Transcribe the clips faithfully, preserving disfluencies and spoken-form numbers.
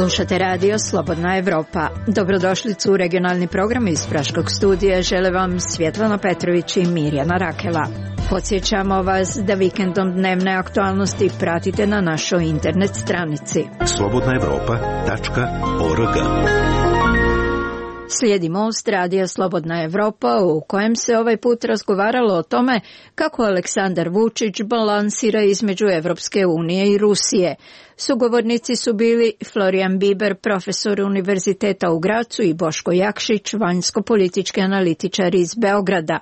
Slušate radio Slobodna Evropa. Dobrodošlicu u regionalni program iz Praškog studija žele vam Svjetlana Petrović i Mirjana Rakela. Podsjećamo vas da vikendom dnevne aktualnosti pratite na našoj internet stranici slobodna evropa tačka org. Slijedi Most radija Slobodna Evropa u kojem se ovaj put razgovaralo o tome kako Aleksandar Vučić balansira između Evropske unije i Rusije. Sugovornici su bili Florijan Biber, profesor Univerziteta u Gracu, i Boško Jakšić, vanjsko-politički analitičar iz Beograda.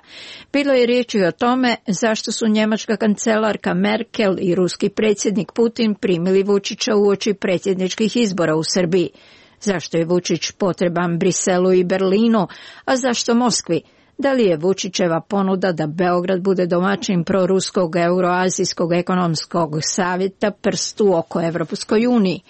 Bilo je riječi o tome zašto su njemačka kancelarka Merkel i ruski predsjednik Putin primili Vučića uoči predsjedničkih izbora u Srbiji. Zašto je Vučić potreban Briselu i Berlinu, a zašto Moskvi? Da li je Vučićeva ponuda da Beograd bude domaćin proruskog Euroazijskog ekonomskog savjeta prst u oko Evropskoj uniji?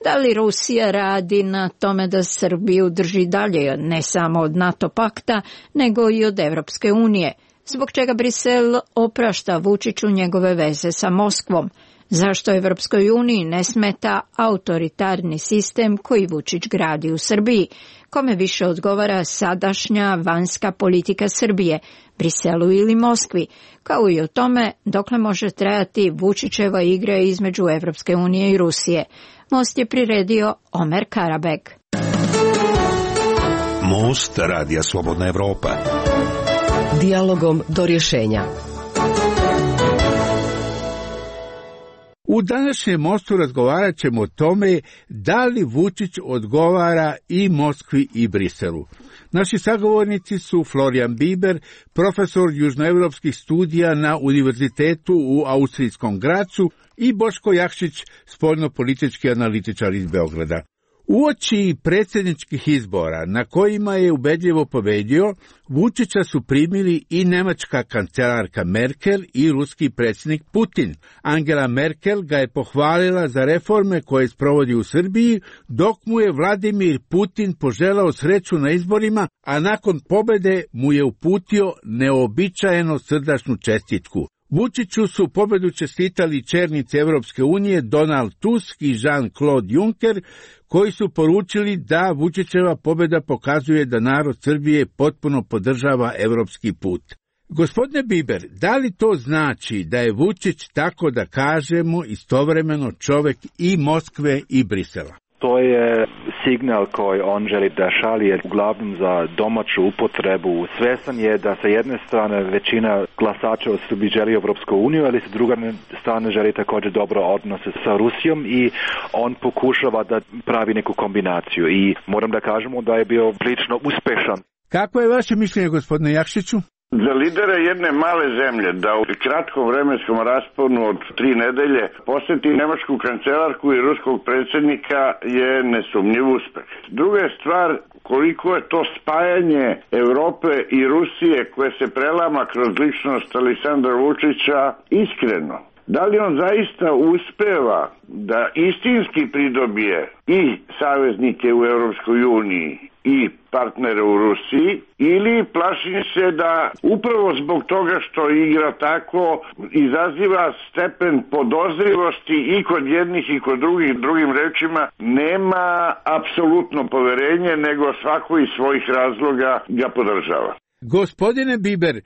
Da li Rusija radi na tome da Srbiju drži dalje ne samo od NATO pakta, nego i od Evropske unije? Zbog čega Brisel oprašta Vučiću njegove veze sa Moskvom? Zašto Evropskoj uniji ne smeta autoritarni sistem koji Vučić gradi u Srbiji? Kome više odgovara sadašnja vanjska politika Srbije, Briselu ili Moskvi? Kao i o tome dokle može trajati Vučićeva igra između Evropske unije i Rusije. Most je priredio Omer Karabeg. Most radija Slobodna Evropa. Dijalogom do rješenja. U današnjem Mostu razgovarat ćemo o tome da li Vučić odgovara i Moskvi i Briselu. Naši sagovornici su Florijan Biber, profesor južnoevropskih studija na Univerzitetu u austrijskom Gracu, i Boško Jakšić, spoljnopolitički analitičar iz Beograda. Uoči predsjedničkih izbora na kojima je ubedljivo pobedio, Vučića su primili i nemačka kancelarka Merkel i ruski predsjednik Putin. Angela Merkel ga je pohvalila za reforme koje sprovodi u Srbiji, dok mu je Vladimir Putin poželao sreću na izborima, a nakon pobjede mu je uputio neobičajeno srdačnu čestitku. Vučiću su pobedu čestitali čelnici Evropske unije Donald Tusk i Jean-Claude Juncker, koji su poručili da Vučićeva pobjeda pokazuje da narod Srbije potpuno podržava evropski put. Gospodine Biber, da li to znači da je Vučić, tako da kažemo, istovremeno čovjek i Moskve i Brisela? To je signal koji on želi da šalje uglavnom za domaću upotrebu. Svjestan je da sa jedne strane većina glasača od Srbije želi Evropsku uniju, ali sa druge strane želi također dobro odnose sa Rusijom i on pokušava da pravi neku kombinaciju. I moram da kažemo da je bio prilično uspešan. Kako je vaše mišljenje, gospodine Jakšiću? Za lidera jedne male zemlje da u kratkom vremenskom rasponu od tri nedelje posjeti nemačku kancelarku i ruskog predsjednika je nesumnjiv uspeh. Druga je stvar koliko je to spajanje Europe i Rusije koje se prelama kroz ličnost Aleksandra Vučića iskreno. Da li on zaista uspeva da istinski pridobije i saveznike u Europskoj uniji i partnere u Rusiji, ili plašim se da upravo zbog toga što igra tako izaziva stepen podozrivosti i kod jednih i kod drugih, drugim rečima nema apsolutno poverenje, nego svako iz svojih razloga ga podržava. Gospodine Biber,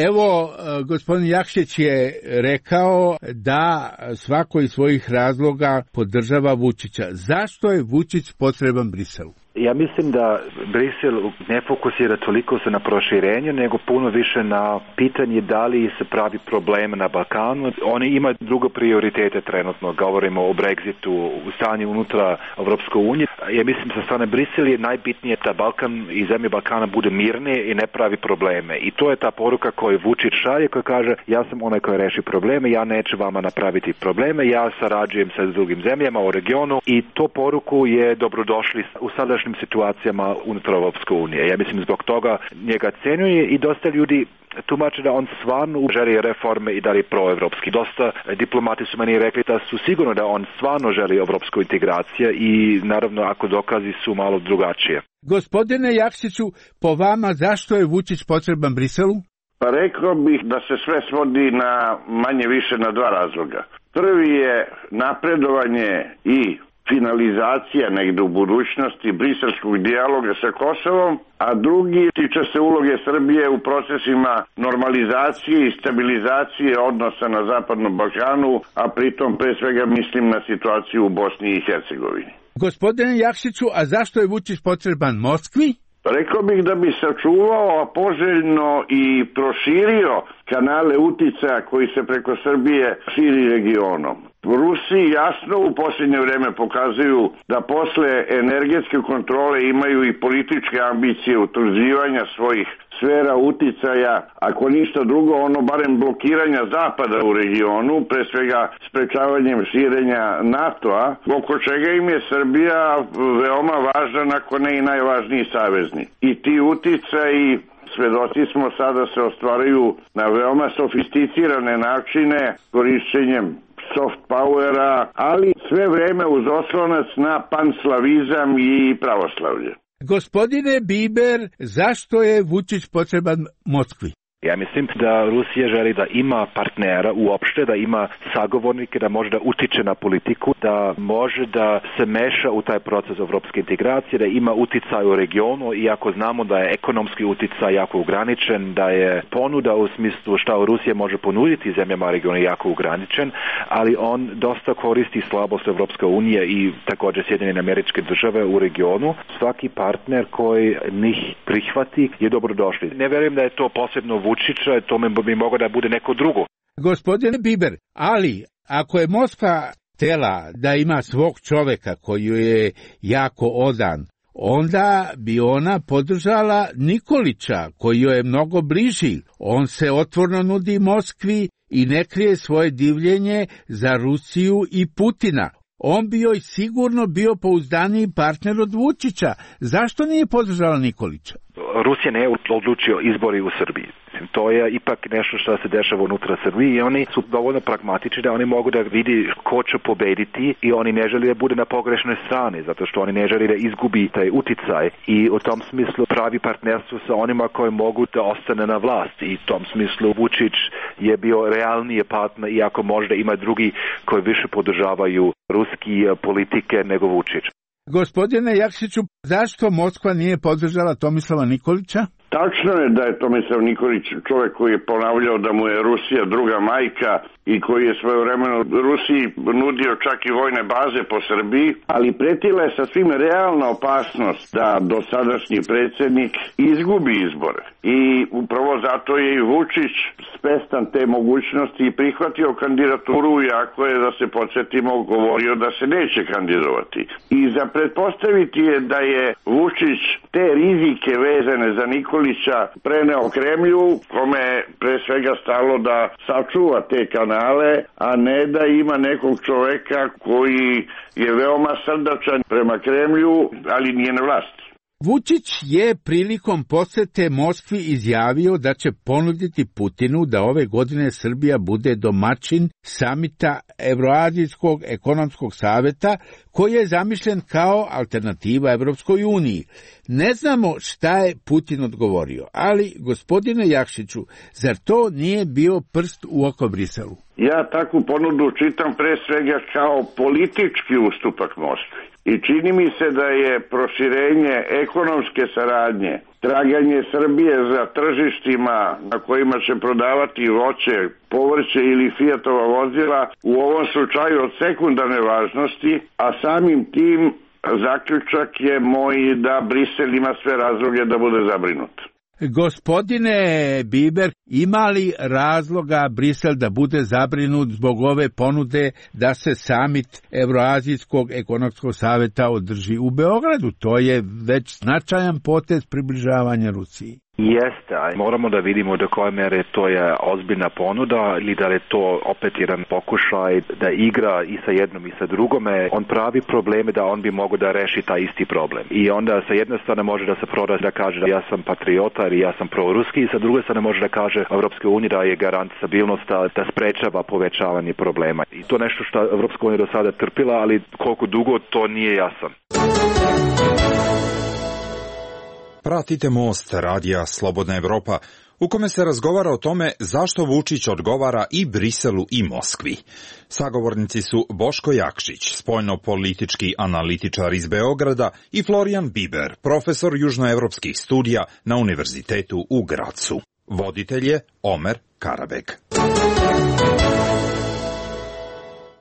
evo, gospodin Jakšić je rekao da svako iz svojih razloga podržava Vučića. Zašto je Vučić potreban Briselu? Ja mislim da Brisel ne fokusira toliko se na proširenje, nego puno više na pitanje da li se pravi problem na Balkanu. Oni imaju druge prioritete trenutno, govorimo o Brexitu, u stanju unutra Evropske unije. Ja mislim sa strane Brisel je najbitnije da Balkan i zemlje Balkana bude mirne i ne pravi probleme. I to je ta poruka koju Vučić šalje, koja kaže ja sam onaj koji reši probleme, ja neću vama napraviti probleme, ja sarađujem sa drugim zemljama u regionu i to poruku je dobrodošli u sadašnjem situacijama unutar Evropske unije. Ja mislim zbog toga njega cenjuje i dosta ljudi tumače da on stvarno želi reforme i da je proevropski. Dosta diplomati su meni rekli da su sigurno da on stvarno želi evropsku integraciju i naravno ako dokazi su malo drugačije. Gospodine Jakšiću, po vama zašto je Vučić potreban Briselu? Pa rekao bih da se sve svodi na manje više na dva razloga. Prvi je napredovanje i finalizacija negde u budućnosti briselskog dijaloga sa Kosovom, a drugi tiče se uloge Srbije u procesima normalizacije i stabilizacije odnosa na Zapadnom Balkanu, a pritom pre svega mislim na situaciju u Bosni i Hercegovini. Gospodine Jakšiću, a zašto je Vučić potreban Moskvi? Rekao bih da bi sačuvao, a poželjno i proširio kanale uticaja koji se preko Srbije širi regionom. Rusi jasno u posljednje vreme pokazuju da posle energetske kontrole imaju i političke ambicije utvrđivanja svojih sfera uticaja, ako ništa drugo, ono barem blokiranja Zapada u regionu, pre svega sprečavanjem širenja NATO-a, oko čega im je Srbija veoma važan, ako ne i najvažniji saveznik. I ti uticaji, svedoci smo, sada se ostvaruju na veoma sofisticirane načine, korišćenjem soft powera, ali sve vreme uz oslonac na panslavizam i pravoslavlje. Gospodine Biber, zašto je Vučić potreban Moskvi? Ja mislim da Rusija želi da ima partnera uopšte, da ima sagovornike, da može da utiče na politiku, da može da se meša u taj proces evropske integracije, da ima uticaj u regionu, iako znamo da je ekonomski uticaj jako ograničen, da je ponuda u smislu šta Rusija može ponuditi zemljama regiona jako ograničen, ali on dosta koristi slabost Evropske unije i također Sjedinjene Američke Države u regionu. Svaki partner koji njih prihvati je dobrodošli. Ne verujem da je to posebno Vučića, to bi moglo da bude neko drugo. Gospodine Biber, ali ako je Moskva htela da ima svog čoveka koji je jako odan, onda bi ona podržala Nikolića koji joj je mnogo bliži. On se otvoreno nudi Moskvi i ne krije svoje divljenje za Rusiju i Putina. On bi joj sigurno bio pouzdaniji partner od Vučića. Zašto nije podržala Nikolića? Rusija ne je odlučio izbori u Srbiji. To je ipak nešto što se dešava unutra Srbije i oni su dovoljno pragmatični da oni mogu da vidi ko će pobediti i oni ne želi da bude na pogrešnoj strani, zato što oni ne želi da izgubi taj uticaj i u tom smislu pravi partnerstvo sa onima koji mogu da ostane na vlast i u tom smislu Vučić je bio realnije partner, iako možda ima drugi koji više podržavaju ruski politike nego Vučić. Gospodine Jakšiću, zašto Moskva nije podržala Tomislava Nikolića? Tačno je da je Tomislav Nikolić čovjek koji je ponavljao da mu je Rusija druga majka i koji je svojevremeno Rusiji nudio čak i vojne baze po Srbiji, ali pretila je sasvim realna opasnost da dosadašnji predsjednik izgubi izbore. I upravo zato je i Vučić svestan te mogućnosti i prihvatio kandidaturu, iako je, da se podsjetimo, govorio da se neće kandidovati. I za pretpostaviti je da je Vučić te rizike vezane za Nikolića preneo Kremlju, kome je pre svega stalo da sačuva te kanale, a ne da ima nekog čoveka koji je veoma srdačan prema Kremlju, ali nije na vlasti. Vučić je prilikom posete Moskvi izjavio da će ponuditi Putinu da ove godine Srbija bude domaćin samita Evroazijskog ekonomskog saveta koji je zamišljen kao alternativa Evropskoj uniji. Ne znamo šta je Putin odgovorio, ali gospodine Jakšiću, zar to nije bio prst u oko Briselu? Ja takvu ponudu čitam pre svega kao politički ustupak Moskvi. I čini mi se da je proširenje ekonomske saradnje, traganje Srbije za tržištima na kojima će prodavati voće, povrće ili Fiatova vozila u ovom slučaju od sekundarne važnosti, a samim tim zaključak je moj da Brisel ima sve razloge da bude zabrinut. Gospodine Biber, ima li razloga Brisel da bude zabrinut zbog ove ponude da se samit Evroazijskog ekonomskog saveta održi u Beogradu? To je već značajan potez približavanja Rusiji. Jeste, moramo da vidimo do koje mere to je ozbiljna ponuda ili da je to opet jedan pokušaj da igra i sa jednom i sa drugome. On pravi probleme da on bi mogao da reši taj isti problem. I onda sa jedne strane može da se proda da kaže da ja sam patriota ili ja sam proruski i sa druge strane može da kaže Evropska unija da je garant stabilnosti, da sprečava povećavanje problema. I to nešto što Evropska unija do sada trpila, ali koliko dugo to nije jasan. Pratite Most radija Slobodna Evropa. u kome se razgovara o tome zašto Vučić odgovara i Briselu i Moskvi. Sagovornici su Boško Jakšić, spoljno-politički analitičar iz Beograda, i Florijan Biber, profesor južnoevropskih studija na Univerzitetu u Gracu. Voditelj je Omer Karabek.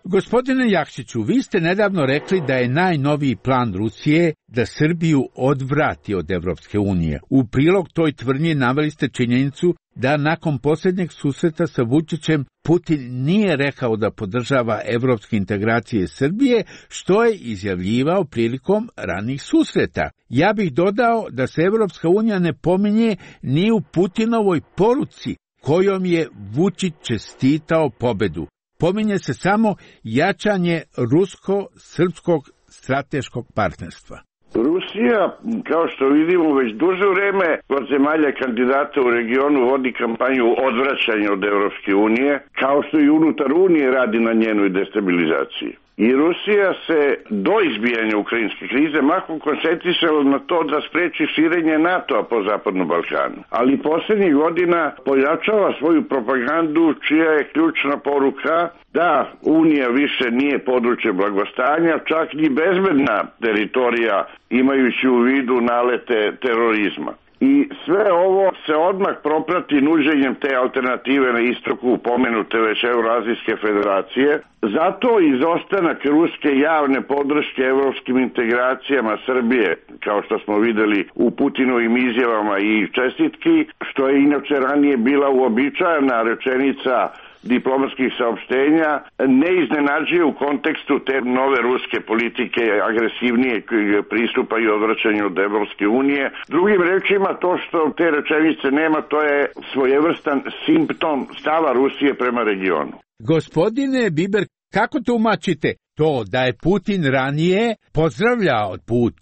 Gospodine Jakšiću, vi ste nedavno rekli da je najnoviji plan Rusije da Srbiju odvrati od Evropske unije. U prilog toj tvrdnji naveli ste činjenicu da nakon posljednjeg susreta sa Vučićem Putin nije rekao da podržava evropske integracije Srbije, što je izjavljivao prilikom ranih susreta. Ja bih dodao da se Evropska unija ne pominje ni u Putinovoj poruci kojom je Vučić čestitao pobedu. Pominje se samo jačanje rusko-srpskog strateškog partnerstva. Rusija, kao što vidimo, već duže vreme kod zemalja kandidata u regionu vodi kampanju odvraćanja od Evropske unije, kao što i unutar Unije radi na njenoj destabilizaciji. I Rusija se do izbijanja ukrajinske krize mahom koncentrisala na to da spreči širenje NATO-a po Zapadnom Balkanu. Ali posljednjih godina pojačava svoju propagandu čija je ključna poruka da Unija više nije područje blagostanja, čak ni bezbedna teritorija, imajući u vidu nalete terorizma. I sve ovo se odmah proprati nuđenjem te alternative na istoku pomenute već Evroazijske federacije. Zato izostanak ruske javne podrške evropskim integracijama Srbije, kao što smo videli u Putinovim izjavama i čestitki, što je inače ranije bila uobičajena rečenica diplomatskih saopštenja, ne iznenađuje u kontekstu te nove ruske politike agresivnije pristupa i odvraćanju od Evropske unije. Drugim rečima, to što te rečenice nema, to je svojevrstan simptom stava Rusije prema regionu. Gospodine Biber, kako tumačite to da je Putin ranije pozdravljao put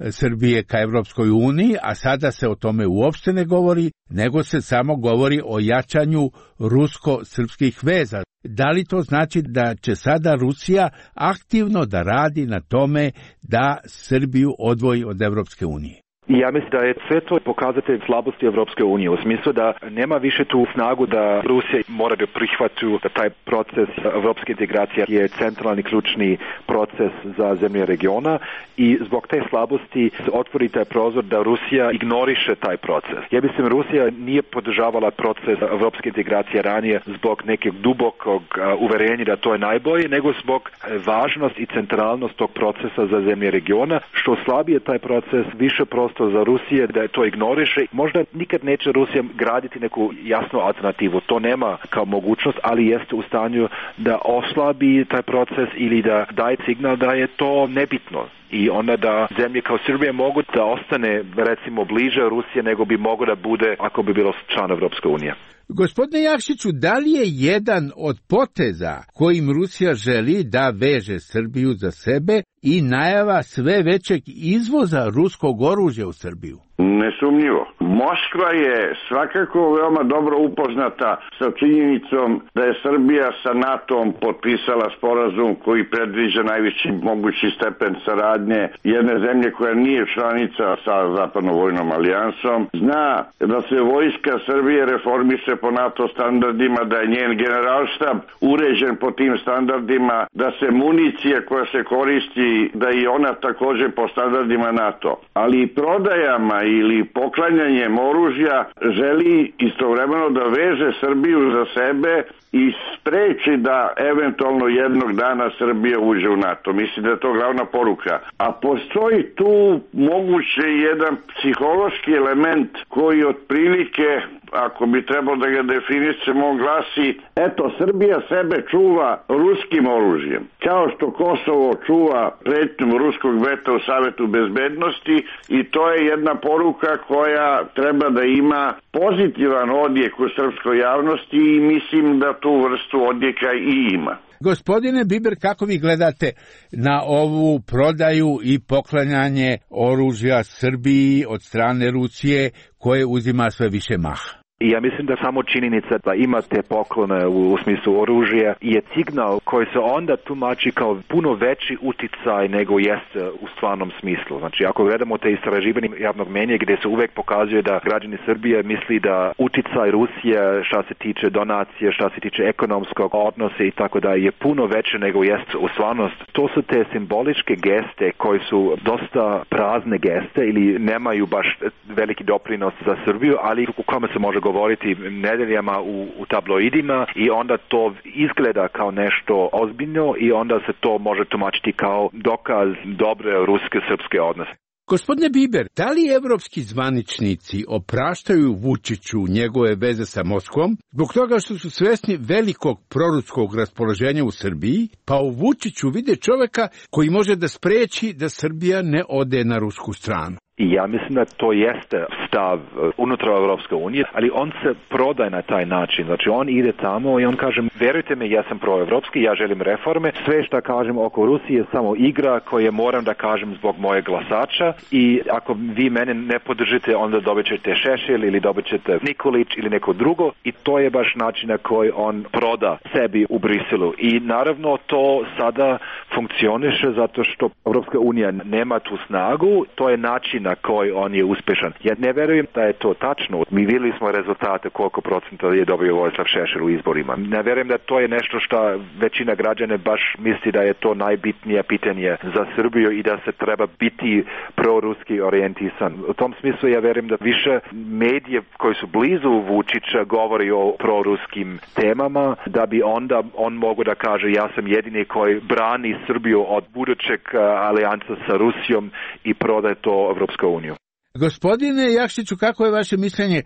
Srbije ka Evropskoj uniji, a sada se o tome uopšte ne govori, nego se samo govori o jačanju rusko-srpskih veza. Da li to znači da će sada Rusija aktivno da radi na tome da Srbiju odvoji od Evropske unije? Ja mislim da je sve to pokazatelj slabosti Evropske unije, u smislu da nema više tu snagu da Rusija mora da prihvati da taj proces evropske integracije je centralni ključni proces za zemlje regiona i zbog te slabosti se otvori taj prozor da Rusija ignoriše taj proces. Ja mislim Rusija nije podržavala proces evropske integracije ranije zbog nekog dubokog uverenja da to je najbolje, nego zbog važnosti i centralnost tog procesa za zemlje regiona, što slabije taj proces, više prostor za Rusije da to ignoriše. Možda nikad neće Rusija graditi neku jasnu alternativu. To nema kao mogućnost, ali jeste u stanju da oslabi taj proces ili da daje signal da je to nebitno. I onda da zemlje kao Srbija mogu da ostane recimo bliže Rusije nego bi moglo da bude ako bi bilo član Evropske unije. Gospodine Jakšiću, da li je jedan od poteza kojim Rusija želi da veže Srbiju za sebe i najava sve većeg izvoza ruskog oružja u Srbiju? Nesumnjivo. Moskva je svakako veoma dobro upoznata sa činjenicom da je Srbija sa NATO-om potpisala sporazum koji predviđa najviši mogući stepen saradnje jedne zemlje koja nije članica sa Zapadnom vojnom alijansom. Zna da se vojska Srbije reformiše po NATO standardima, da je njen generalštab uređen po tim standardima, da se municija koja se koristi, da i ona također po standardima NATO. Ali prodajama ili poklanjanjem oružja želi istovremeno da veže Srbiju za sebe i spreči da eventualno jednog dana Srbija uđe u NATO. Mislim da je to glavna poruka. A postoji tu moguće jedan psihološki element koji otprilike, ako bi trebalo da ga definišemo, on glasi: eto, Srbija sebe čuva ruskim oružjem. Kao što Kosovo čuva pretnju ruskog veta u Savetu bezbednosti, i to je jedna poruka koja treba da ima pozitivan odjek u srpskoj javnosti i mislim da tu vrstu odjeka i ima. Gospodine Biber, kako vi gledate na ovu prodaju i poklanjanje oružja Srbiji od strane Rusije koje uzima sve više maha? I ja mislim da samo činjenica da ima te poklone u, u smislu oružja je signal koji se onda tumači kao puno veći uticaj nego jeste u stvarnom smislu. Znači, ako gledamo te istraživanje javnog mnjenja gdje se uvek pokazuje da građani Srbije misli da uticaj Rusije šta se tiče donacije, šta se tiče ekonomskog odnosa i tako da je puno veće nego jeste u stvarnost. To su te simboličke geste koji su dosta prazne geste ili nemaju baš veliki doprinos za Srbiju, ali u kome se može govoriti nedeljama u, u tabloidima i onda to izgleda kao nešto ozbiljno i onda se to može tumačiti kao dokaz dobre ruske-srpske odnose. Gospodine Biber, da li evropski zvaničnici opraštaju Vučiću njegove veze sa Moskvom zbog toga što su svesni velikog proruskog raspoloženja u Srbiji, pa u Vučiću vide čoveka koji može da spreči da Srbija ne ode na rusku stranu? I ja mislim da to jeste stav unutar Evropske unije, ali on se prodaje na taj način. Znači on ide tamo i on kaže, verujte mi, ja sam proevropski, ja želim reforme, sve što kažem oko Rusije je samo igra koje moram da kažem zbog moje glasača i ako vi mene ne podržite, onda dobit ćete Šešelj ili dobit ćete Nikolić ili neko drugo i to je baš način na koji on proda sebi u Briselu. I naravno to sada funkcioniše zato što Evropska unija nema tu snagu, to je način na koji on je uspešan. Ja ne verujem da je to tačno. Mi vidjeli smo rezultate koliko procenta je dobio Vojislav Šešelj u izborima. Ne verujem da to je nešto što većina građana baš misli da je to najbitnije pitanje za Srbiju i da se treba biti proruski orijentisan. U tom smislu ja verujem da više medije koji su blizu Vučića govori o proruskim temama, da bi onda on mogu da kaže ja sam jedini koji brani Srbiju od budućeg alijansa sa Rusijom i prodaje to Evropska uniju. Gospodine Jakšiću, kako je vaše mišljenje?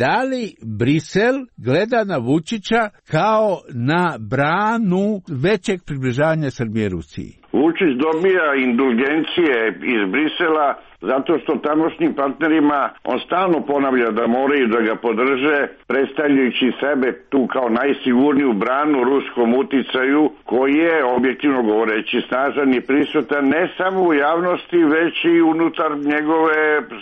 Da li Brisel gleda na Vučića kao na branu većeg približavanja Srbije Rusiji? Vučić dobija indulgencije iz Brisela zato što tamošnjim partnerima on stalno ponavlja da moraju da ga podrže, predstavljajući sebe tu kao najsigurniju branu ruskom uticaju, koji je, objektivno govoreći, snažan i prisutan ne samo u javnosti, već i unutar njegove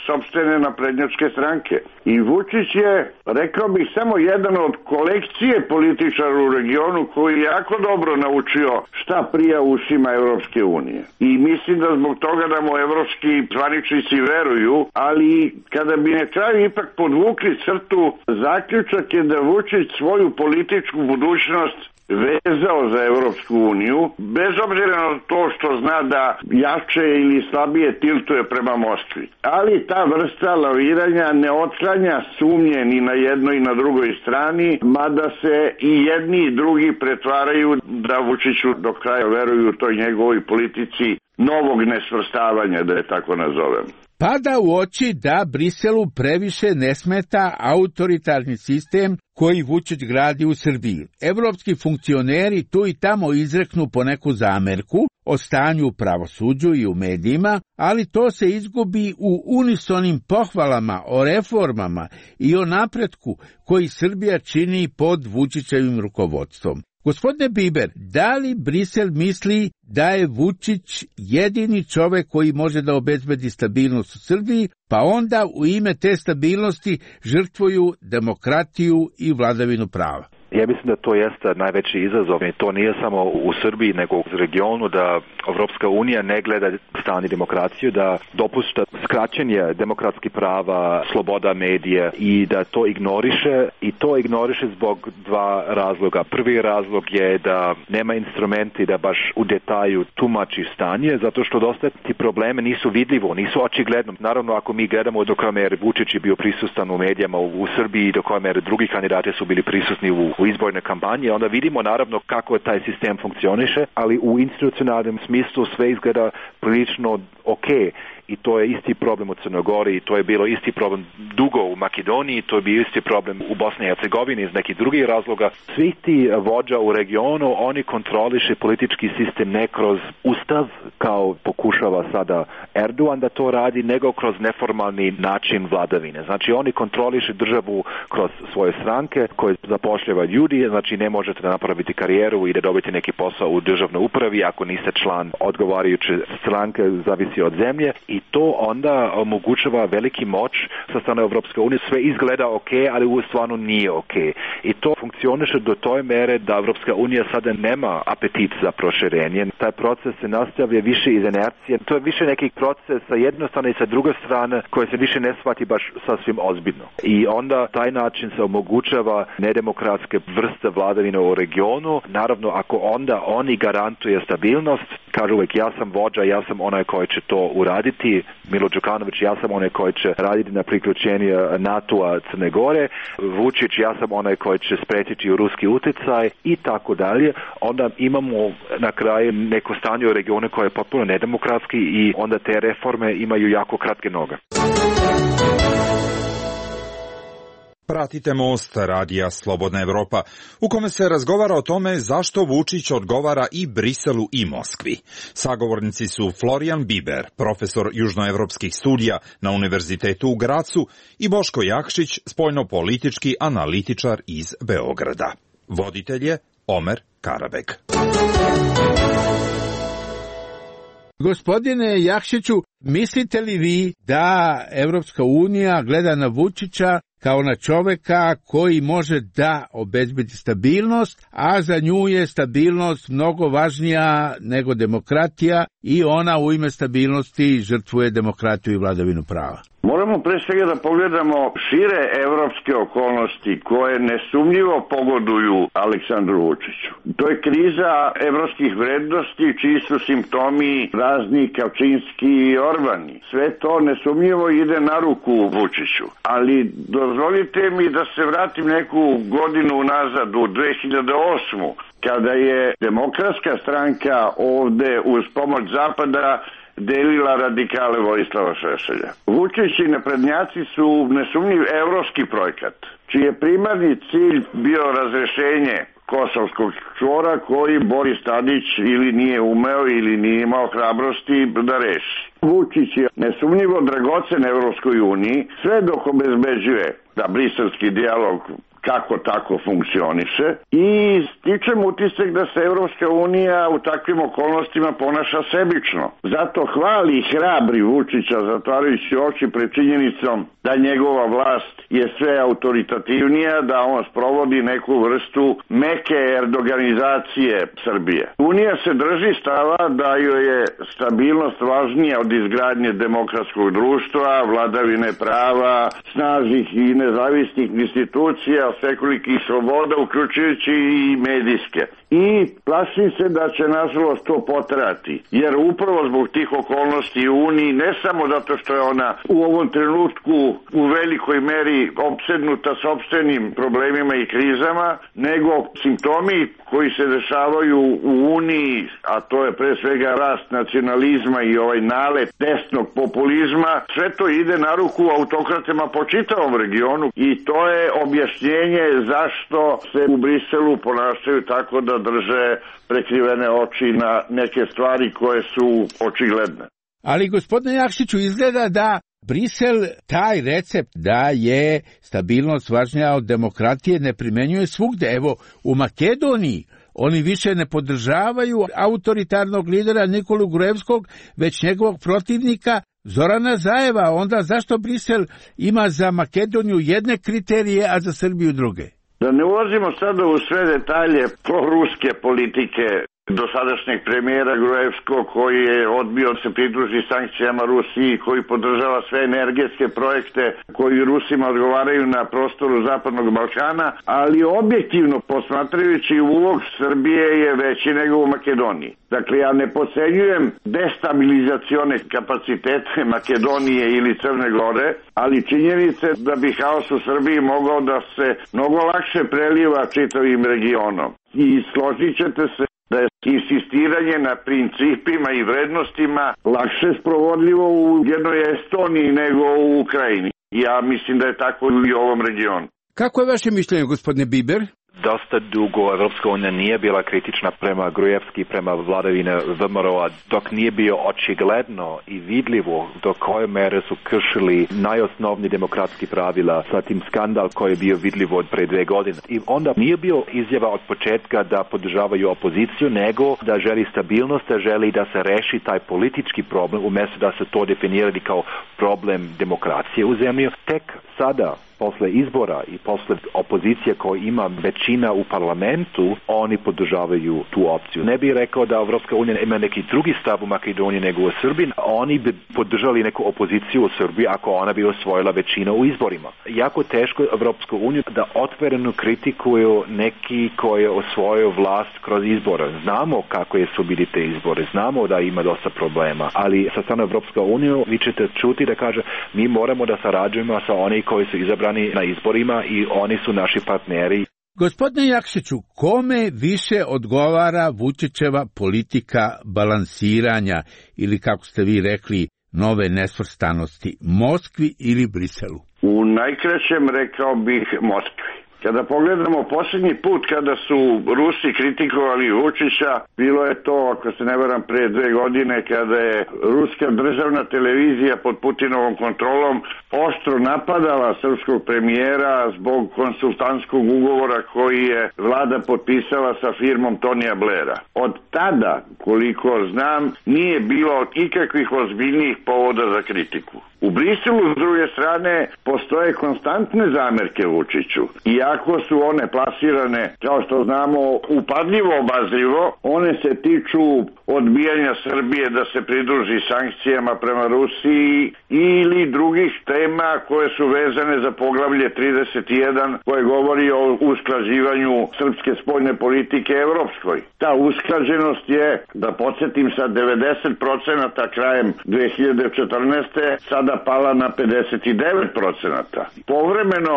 sopstvene naprednjačke stranke. I Vučić je, rekao bih, samo jedan od kolekcije političara u regionu koji je jako dobro naučio šta prija ušima Evropske unije. I mislim da zbog toga da mu evropski zvaničnici veruju, ali kada bi na kraju ipak podvukli crtu, zaključak je da Vučić svoju političku budućnost vezao za Evropsku uniju, bez obzira na to što zna da jače ili slabije tiltuje prema Moskvi. Ali ta vrsta laviranja ne otklanja sumnje ni na jednoj i na drugoj strani, mada se i jedni i drugi pretvaraju da Vučiću do kraja veruju u toj njegovoj politici novog nesvrstavanja, da je tako nazovem. Pada u oči da Briselu previše ne smeta autoritarni sistem koji Vučić gradi u Srbiji. Evropski funkcioneri tu i tamo izreknu po neku zamerku o stanju u pravosuđu i u medijima, ali to se izgubi u unisonim pohvalama o reformama i o napretku koji Srbija čini pod Vučićevim rukovodstvom. Gospodine Biber, da li Brisel misli da je Vučić jedini čovek koji može da obezbedi stabilnost u Srbiji, pa onda u ime te stabilnosti žrtvuju demokratiju i vladavinu prava? Ja mislim da to jeste najveći izazov i to nije samo u Srbiji nego u regionu, da Evropska unija ne gleda strani demokraciju, da dopušta skraćenje demokratskih prava, sloboda medija i da to ignoriše i to ignoriše zbog dva razloga. Prvi razlog je da nema instrumenti da baš u detalju tumači stanje, zato što dosta ti probleme nisu vidljivo, nisu očigledno. Naravno, ako mi gledamo do koje mere Vučić je bio prisutan u medijama u, u Srbiji, do koje mere drugi kandidati su bili prisutni u u izborne kampanje, onda vidimo naravno kako taj sistem funkcioniše, ali u institucionalnom smislu sve izgleda prilično ok. I to je isti problem u Crnoj Gori, to je bilo isti problem dugo u Makedoniji, to je bio isti problem u Bosni i Hercegovini iz nekih drugih razloga. Svi ti vođa u regionu, oni kontroliše politički sistem ne kroz ustav, kao pokušava sada Erdogan da to radi, nego kroz neformalni način vladavine. Znači oni kontroliše državu kroz svoje stranke koje zapošljava ljudi, znači ne možete da napraviti karijeru i da dobiti neki posao u državnoj upravi ako niste član odgovarajuće stranke, zavisi od zemlje. I to onda omogućava veliki moć sa strane Evropske unije. Sve izgleda ok, ali u stvarno nije ok. I to funkcioniše do toj mere da Evropska unija sada nema apetit za proširenje. Taj proces se nastavlja više iz inercije. To je više neki proces sa jedne strane i sa druge strane koje se više ne shvati baš sasvim ozbiljno. I onda taj način se omogućava nedemokratske vrste vladavine u regionu. Naravno, ako onda oni garantuje stabilnost, kažu uvijek ja sam vođa, ja sam onaj koji će to uraditi, Milo Đukanović, ja sam onaj koji će raditi na priključenju NATO-a Crne Gore, Vučić, ja sam onaj koji će spriječiti ruski utjecaj i tako dalje, onda imamo na kraju neko stanje u regionu koje je potpuno nedemokratski i onda te reforme imaju jako kratke noge. Pratite Most radija Slobodna Evropa, u kome se razgovara o tome zašto Vučić odgovara i Briselu i Moskvi. Sagovornici su Florijan Biber, profesor južnoevropskih studija na Univerzitetu u Gracu, i Boško Jakšić, spoljnopolitički analitičar iz Beograda. Voditelj je Omer Karabek. Gospodine Jakšiću, mislite li vi da Evropska unija gleda na Vučića kao na čoveka koji može da obezbedi stabilnost, a za nju je stabilnost mnogo važnija nego demokratija i ona u ime stabilnosti žrtvuje demokratiju i vladavinu prava? Moramo pre svega da pogledamo šire evropske okolnosti koje nesumnjivo pogoduju Aleksandru Vučiću. To je kriza evropskih vrednosti čiji su simptomi razni Kačinski i Orbani. Sve to nesumnjivo ide na ruku Vučiću. Ali dozvolite mi da se vratim neku godinu nazad u dve hiljade osmu. Kada je Demokratska stranka ovde uz pomoć Zapada delila radikale Vojislava Šešelja. Vučić i naprednjaci su nesumnjiv evropski projekat, čiji je primarni cilj bio razrešenje kosovskog čvora koji Boris Tadić ili nije umeo ili nije imao hrabrosti da reši. Vučić je nesumnjivo dragocen Evropskoj uniji sve dok obezbeđuje da briselski dijalog kako tako funkcioniše i stičem utisak da se Evropska unija u takvim okolnostima ponaša sebično. Zato hvali i hrabri Vučića zatvarajući oči pred činjenicom da njegova vlast je sve autoritativnija, da on sprovodi neku vrstu meke erdoganizacije Srbije. Unija se drži stava da joj je stabilnost važnija od izgradnje demokratskog društva, vladavine prava, snažnih i nezavisnih institucija, svekolikih sloboda, uključujući i medijske. I plašim se da će nažalost to potrati, jer upravo zbog tih okolnosti u Uniji, ne samo zato što je ona u ovom trenutku u velikoj meri opsednuta sopstvenim problemima i krizama, nego simptomi koji se dešavaju u Uniji, a to je pre svega rast nacionalizma i ovaj nalet desnog populizma, sve to ide na ruku autokratama po čitavom regionu i to je objašnjenje zašto se u Briselu ponašaju tako da drže prekrivene oči na neke stvari koje su očigledne. Ali, gospodine Jakšiću, izgleda da Brisel taj recept da je stabilnost važnija od demokratije ne primenjuje svugde. Evo, u Makedoniji oni više ne podržavaju autoritarnog lidera Nikolu Gruevskog, već njegovog protivnika Zorana Zajeva. Onda zašto Brisel ima za Makedoniju jedne kriterije, a za Srbiju druge? Da ne ulazimo sada u sve detalje proruske politike dosadašnjeg premijera Gruevskog, koji je odbio da se pridruži sankcijama Rusiji, koji podržava sve energetske projekte koji Rusima odgovaraju na prostoru Zapadnog Balkana, ali objektivno posmatrajući ulog Srbije je veći nego u Makedoniji. Dakle, ja ne podcenjujem destabilizacione kapacitete Makedonije ili Crne Gore, ali činjenice da bi haos u Srbiji mogao da se mnogo lakše preliva čitavim regionom. I složit ćete se da je insistiranje na principima i vrednostima lakše sprovodljivo u jednoj Estoniji nego u Ukrajini. Ja mislim da je tako i u ovom regionu. Kako je vaše mišljenje, gospodine Biber? Dosta dugo Evropska unija nije bila kritična prema Grujevski, prema vladavine V M R O-a, dok nije bio očigledno i vidljivo do koje mere su kršili najosnovniji demokratski pravila sa tim skandal koji je bio vidljivo od pre dve godine. I onda nije bio izjava od početka da podržavaju opoziciju, nego da želi stabilnost, da želi da se reši taj politički problem, umjesto da se to definirali kao problem demokracije u zemlji. Tek sada, posle izbora i posle opozicije koja ima većina u parlamentu, oni podržavaju tu opciju. Ne bih rekao da Evropska unija ima neki drugi stav u Makedoniji nego u Srbiji. Oni bi podržali neku opoziciju u Srbiji ako ona bi osvojila većinu u izborima. Jako teško Evropsku uniju da otvoreno kritikuju neki koji je osvojio vlast kroz izbore. Znamo kako je su bili te izbore, znamo da ima dosta problema, ali sa strane Evropska unija vi ćete čuti da kaže mi moramo da sarađujemo sa oni koji su izabrani na izborima i oni su naši partneri. Gospodine Jakšiću, kome više odgovara Vučićeva politika balansiranja ili, kako ste vi rekli, nove nesvrstanosti, Moskvi ili Briselu? U najkraćem rekao bih Moskvi. Kada pogledamo posljednji put kada su Rusi kritikovali Vučića, bilo je to, ako se ne varam, pre dve godine kada je ruska državna televizija pod Putinovom kontrolom oštro napadala srpskog premijera zbog konsultantskog ugovora koji je vlada potpisala sa firmom Tonija Blaira. Od tada, koliko znam, nije bilo ikakvih ozbiljnijih povoda za kritiku. U Briselu, s druge strane, postoje konstantne zamerke Vučiću. Iako su one plasirane, kao što znamo, upadljivo obazrivo, one se tiču odbijanja Srbije da se pridruži sankcijama prema Rusiji ili drugih tema koje su vezane za poglavlje trideset jedan koje govori o usklađivanju srpske spoljne politike evropskoj. Ta usklađenost je, da podsjetim, sa devedeset procenata krajem dve hiljade četrnaeste sada pala na pedeset devet procenata. Povremeno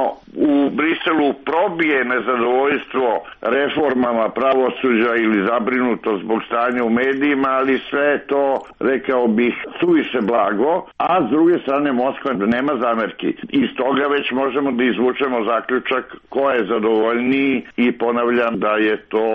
u Briselu probije nezadovoljstvo reformama pravosuđa ili zabrinuto zbog stanja u medijima, ali sve je to, rekao bih, suviše blago, a s druge strane Moskva nema zamerki. Iz toga već možemo da izvučemo zaključak ko je zadovoljniji i ponavljam da je to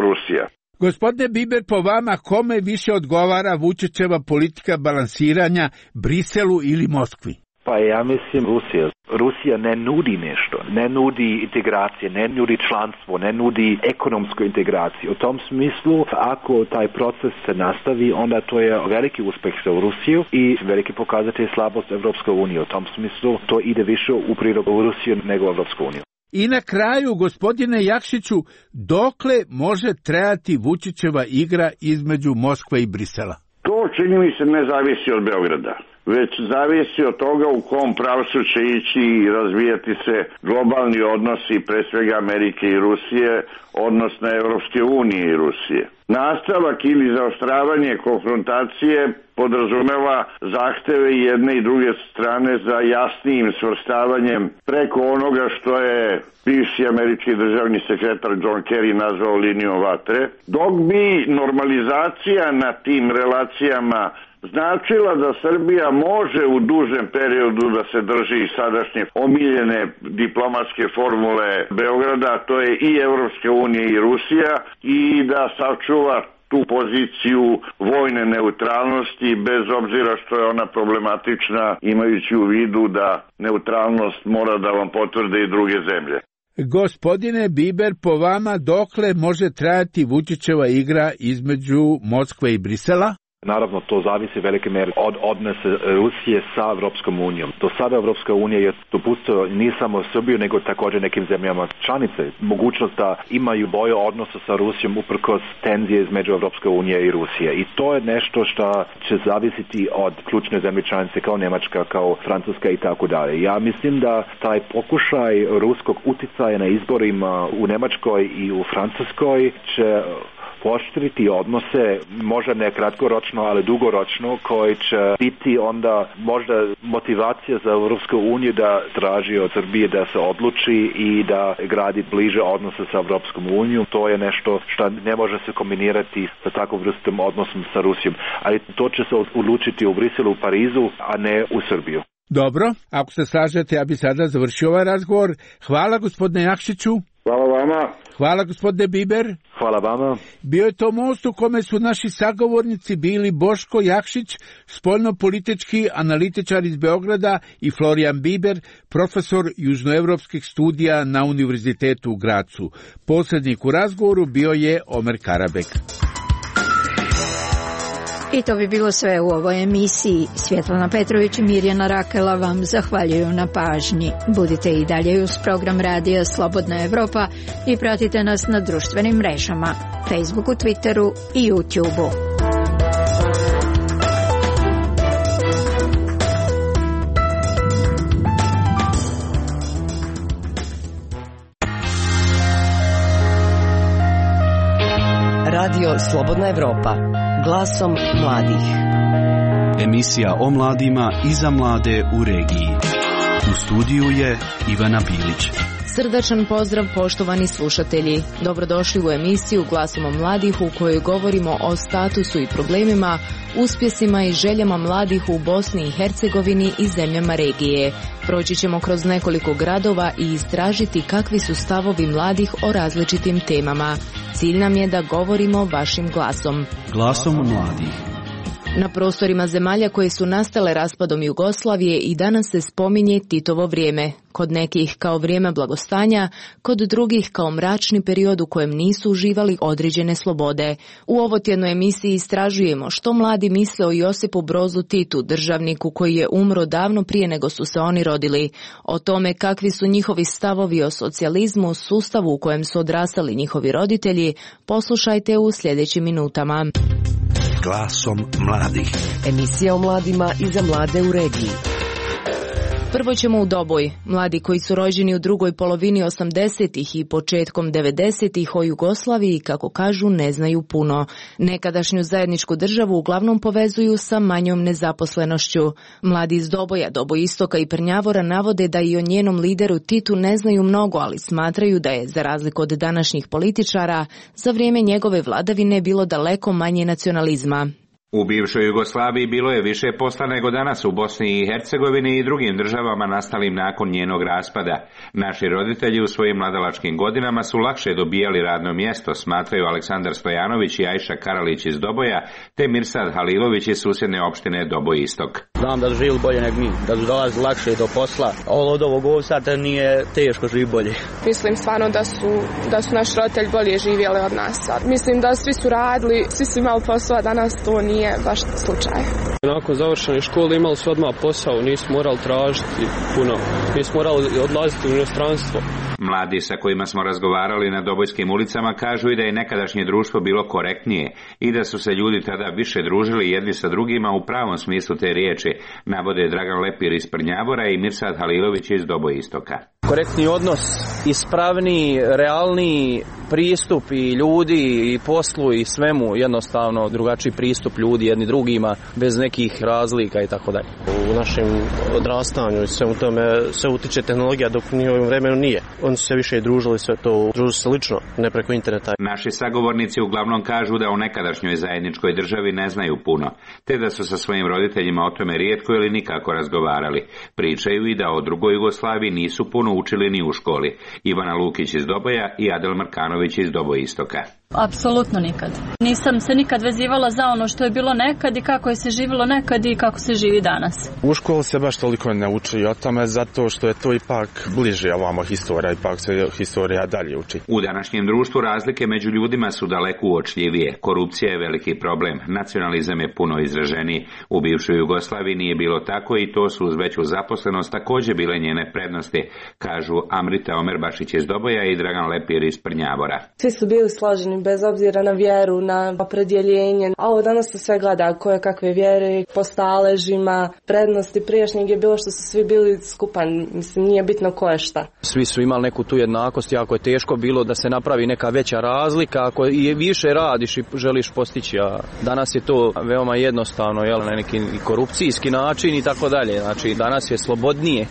Rusija. Gospodine Biber, po vama kome više odgovara Vučićeva politika balansiranja, Briselu ili Moskvi? Pa ja mislim Rusija. Rusija ne nudi nešto, ne nudi integracije, ne nudi članstvo, ne nudi ekonomsku integraciju. U tom smislu, ako taj proces se nastavi, onda to je veliki uspeh za Rusiju i veliki pokazatelj slabost Evropske unije. U tom smislu to ide više u prilog u Rusiju nego u Evropsku uniju. I na kraju, gospodine Jakšiću, dokle može trajati Vučićeva igra između Moskve i Brisela? To, čini mi se, ne zavisi od Beograda, već zavisi od toga u kom pravcu će ići i razvijati se globalni odnosi, pre svega Amerike i Rusije, odnosno Evropske unije i Rusije. Nastavak ili zaoštravanje konfrontacije podrazumeva zahteve i jedne i druge strane za jasnijim svrstavanjem preko onoga što je bivši američki državni sekretar John Kerry nazvao linijom vatre, dok bi normalizacija na tim relacijama značila da Srbija može u dužem periodu da se drži sadašnje omiljene diplomatske formule Beograda, to je i Evropske unije i Rusija, i da sačuva tu poziciju vojne neutralnosti, bez obzira što je ona problematična, imajući u vidu da neutralnost mora da vam potvrde i druge zemlje. Gospodine Biber, po vama dokle može trajati Vučićeva igra između Moskve i Brisela? Naravno, to zavisi velike mere od odnose Rusije sa Evropskom unijom. Do sada Evropska unija je dopustila ne samo Srbiju, nego također nekim zemljama članice mogućnost da imaju bolje odnose sa Rusijom uprkos tenzije između Evropske unije i Rusije. I to je nešto što će zavisiti od ključne zemlje članice kao Njemačka, kao Francuska i tako dalje. Ja mislim da taj pokušaj ruskog uticaja na izborima u Njemačkoj i u Francuskoj će pooštriti odnose, možda ne kratkoročno, ali dugoročno, koji će biti onda možda motivacija za Evropsku uniju da traži od Srbije da se odluči i da gradi bliže odnose sa Evropskom unijom. To je nešto što ne može se kombinirati sa takvom vrstom odnosom sa Rusijom. Ali to će se odlučiti u Briselu, u Parizu, a ne u Srbiju. Dobro, ako se slažete, ja bi sada završio ovaj razgovor. Hvala gospodine Jakšiću. Hvala vama. Hvala gospodine Biber. Hvala vama. Bio je to most u kome su naši sagovornici bili Boško Jakšić, spoljnopolitički analitičar iz Beograda, i Florijan Biber, profesor južnoevropskih studija na Univerzitetu u Gracu. Posrednik u razgovoru bio je Omer Karabek. I to bi bilo sve u ovoj emisiji. Svjetlana Petrović i Mirjana Rakela vam zahvaljuju na pažnji. Budite i dalje uz program radija Slobodna Evropa i pratite nas na društvenim mrežama, Facebooku, Twitteru i YouTubeu. Radio Slobodna Evropa, glasom mladih. Emisija o mladima i za mlade u regiji. U studiju je Ivana Bilić. Srdačan pozdrav poštovani slušatelji. Dobrodošli u emisiju Glasom mladih u kojoj govorimo o statusu i problemima, uspjesima i željama mladih u Bosni i Hercegovini i zemljama regije. Proći ćemo kroz nekoliko gradova i istražiti kakvi su stavovi mladih o različitim temama. Cilj nam je da govorimo vašim glasom. Glasom mladih. Na prostorima zemalja koje su nastale raspadom Jugoslavije i danas se spominje Titovo vrijeme. Kod nekih kao vrijeme blagostanja, kod drugih kao mračni period u kojem nisu uživali određene slobode. U ovotjednoj emisiji istražujemo što mladi misle o Josipu Brozu Titu, državniku koji je umro davno prije nego su se oni rodili. O tome kakvi su njihovi stavovi o socijalizmu, sustavu u kojem su odrastali njihovi roditelji, poslušajte u sljedećim minutama. Glasom mladih. Emisija o mladima i za mlade u regiji. Prvo ćemo u Doboj. Mladi koji su rođeni u drugoj polovini osamdesetih i početkom devedesetih o Jugoslaviji, kako kažu, ne znaju puno. Nekadašnju zajedničku državu uglavnom povezuju sa manjom nezaposlenošću. Mladi iz Doboja, Doboistoka i Prnjavora navode da i o njenom lideru Titu ne znaju mnogo, ali smatraju da je, za razliku od današnjih političara, za vrijeme njegove vladavine bilo daleko manje nacionalizma. U bivšoj Jugoslaviji bilo je više posla nego danas u Bosni i Hercegovini i drugim državama nastalim nakon njenog raspada. Naši roditelji u svojim mladalačkim godinama su lakše dobijali radno mjesto, smatraju Aleksandar Stojanović i Ajša Karalić iz Doboja, te Mirsad Halilović iz susjedne opštine Doboj Istok. Znam da su živjeli bolje nego mi, da su dolazili lakše do posla. Ovo od ovog ovsata nije teško živi bolje. Mislim stvarno da su, da su naši roditelji bolje živjeli od nas. Mislim da svi su radili, svi su imali posao, a danas to nije baš slučaj. Nakon završene škole imali su odmah posao, nisu morali tražiti puno, nisu morali odlaziti u inostranstvo. Mladi sa kojima smo razgovarali na dobojskim ulicama kažu i da je nekadašnje društvo bilo korektnije i da su se ljudi tada više družili jedni sa drugima u pravom smislu te riječi, navode Dragan Lepir iz Prnjavora i Mirsad Halilović iz Dobojistoka. Korektni odnos, ispravni, realni pristup i ljudi i poslu i svemu, jednostavno drugačiji pristup ljudi jedni drugima bez nekih razlika i tako dalje. U našem odrastanju i svemu tome se utiče tehnologija, dok u njihovim vremenu nije. Oni su se više družili, sve to družili se lično, ne preko interneta. Naši sagovornici uglavnom kažu da o nekadašnjoj zajedničkoj državi ne znaju puno, te da su sa svojim roditeljima o tome rijetko ili nikako razgovarali. Pričaju i da o drugoj Jugoslaviji nisu puno učili ni u školi. Ivana Lukić iz Doboja i Adel Markanović iz Dobojistoka. Apsolutno nikad. Nisam se nikad vezivala za ono što je bilo nekad i kako je se živjelo nekad i kako se živi danas. U školi se baš toliko ne uči o tome zato što je to ipak bliže ovamo historija, ipak se historija dalje uči. U današnjem društvu razlike među ljudima su daleko uočljivije. Korupcija je veliki problem, nacionalizam je puno izraženiji. U bivšoj Jugoslaviji nije bilo tako i to su uz veću zaposlenost također bile njene prednosti, kažu Amrita Omerbašić iz Doboja i Dragan Lepir iz Prnjavora. Svi su bili složeni bez obzira na vjeru, na opredjeljenje. A ovo danas se sve gleda koje kakve vjere, po staležima, prednosti prijašnjeg je bilo što su svi bili skupan. Mislim, nije bitno ko je šta. Svi su imali neku tu jednakost, jako je teško bilo da se napravi neka veća razlika, ako i više radiš i želiš postići, a danas je to veoma jednostavno, jel, na neki korupcijski način i tako dalje. Znači, danas je slobodnije.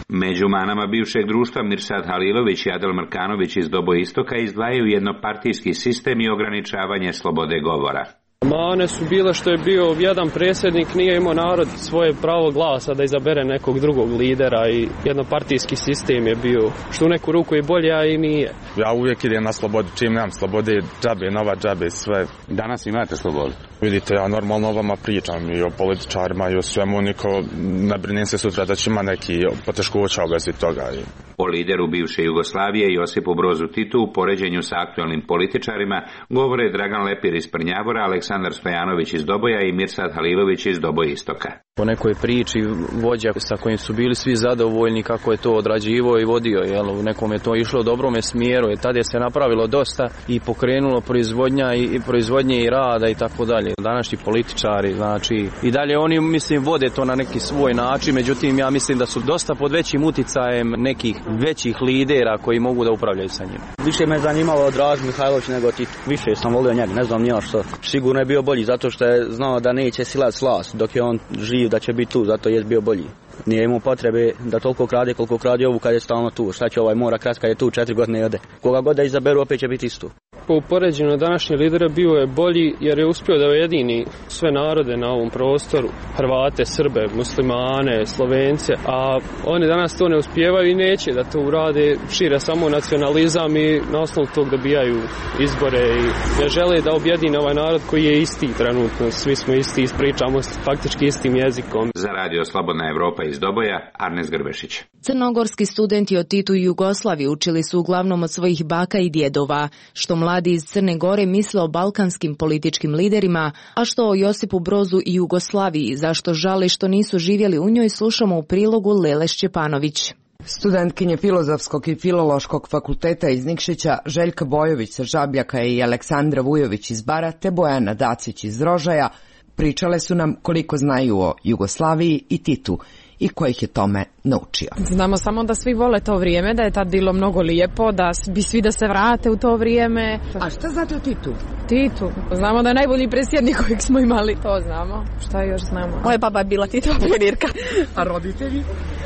Među manama bivšeg društva Mirsad Halilović i Adel Markanović iz Dobojistoka izdvajaju jednopartijski sistem i ograničavanje slobode govora. Mane su bile što je bio jedan predsjednik, nije imao narod svoje pravo glasa da izabere nekog drugog lidera i jednopartijski sistem je bio, što u neku ruku je bolje, a i nije. Ja uvijek idem na slobodu, čim nemam slobode, džabe, nova džabe, sve. Danas imate slobodu? Vidite, ja normalno o vama pričam i o političarima i o svemu, niko ne brinem se sutra da će ima neki poteškoća u vezi toga. O lideru bivše Jugoslavije Josipu Brozu Titu u poređenju sa aktualnim političarima govore Dragan Lepir iz Prnjavora, Aleksandar Stojanović iz Doboja i Mirsad Halilović iz Doboja Istoka. Po nekoj priči vođa sa kojim su bili svi zadovoljni kako je to odrađivo i vodio, jel, u nekom je to išlo u dobrome smjeru i tada je se napravilo dosta i pokrenulo proizvodnja i, i proizvodnje i rada i tako dalje. Današnji političari, znači i dalje oni mislim vode to na neki svoj način, međutim ja mislim da su dosta pod većim uticajem nekih većih lidera koji mogu da upravljaju sa njima. Više me zanimalo Dragan Mihajlović nego Tito. Više sam volio njega, ne znam nija što. Sigurno je bio bolji zato što je znao da neće silati slast dok je on živ, da će biti tu, zato je bio bolji. Nije imao potrebe da toliko krade koliko krade ovu kad je stalno tu. Šta će ovaj mora krat kad je tu četiri godine jede. Koga god da izaberu opet će biti isto. Po upoređenju današnje lidera bio je bolji jer je uspio da ujedini sve narode na ovom prostoru. Hrvate, Srbe, muslimane, Slovence, a oni danas to ne uspijevaju i neće da to urade, šire samo nacionalizam i na osnovu tog dobijaju izbore i ne žele da objedine ovaj narod koji je isti trenutno. Svi smo isti, ispričamo faktički istim jezikom. Za radio Slobodna Evropa iz Doboja, Arnes Grbešić. Crnogorski studenti o Titu i Jugoslaviji učili su uglavnom od svojih baka i djedova, što mladi iz Crne Gore misle o balkanskim političkim liderima, a što o Josipu Brozu i Jugoslaviji, zašto žali što nisu živjeli u njoj, slušamo u prilogu Lele Šćepanović. Studentkinje Filozofskog i Filološkog fakulteta iz Nikšića, Željka Bojović sa Žabljaka i Aleksandra Vujović iz Bara te Bojana Dacić iz Rožaja pričale su nam koliko znaju o Jugoslaviji i Titu i ko ih je tome naučio. Znamo samo da svi vole to vrijeme, da je tad bilo mnogo lijepo, da bi svi da se vrate u to vrijeme. A šta znate o Titu? Titu? Znamo da je najbolji predsjednik kojeg smo imali. To znamo. Šta još znamo? Moja baba je bila Titova pionirka. A roditelji?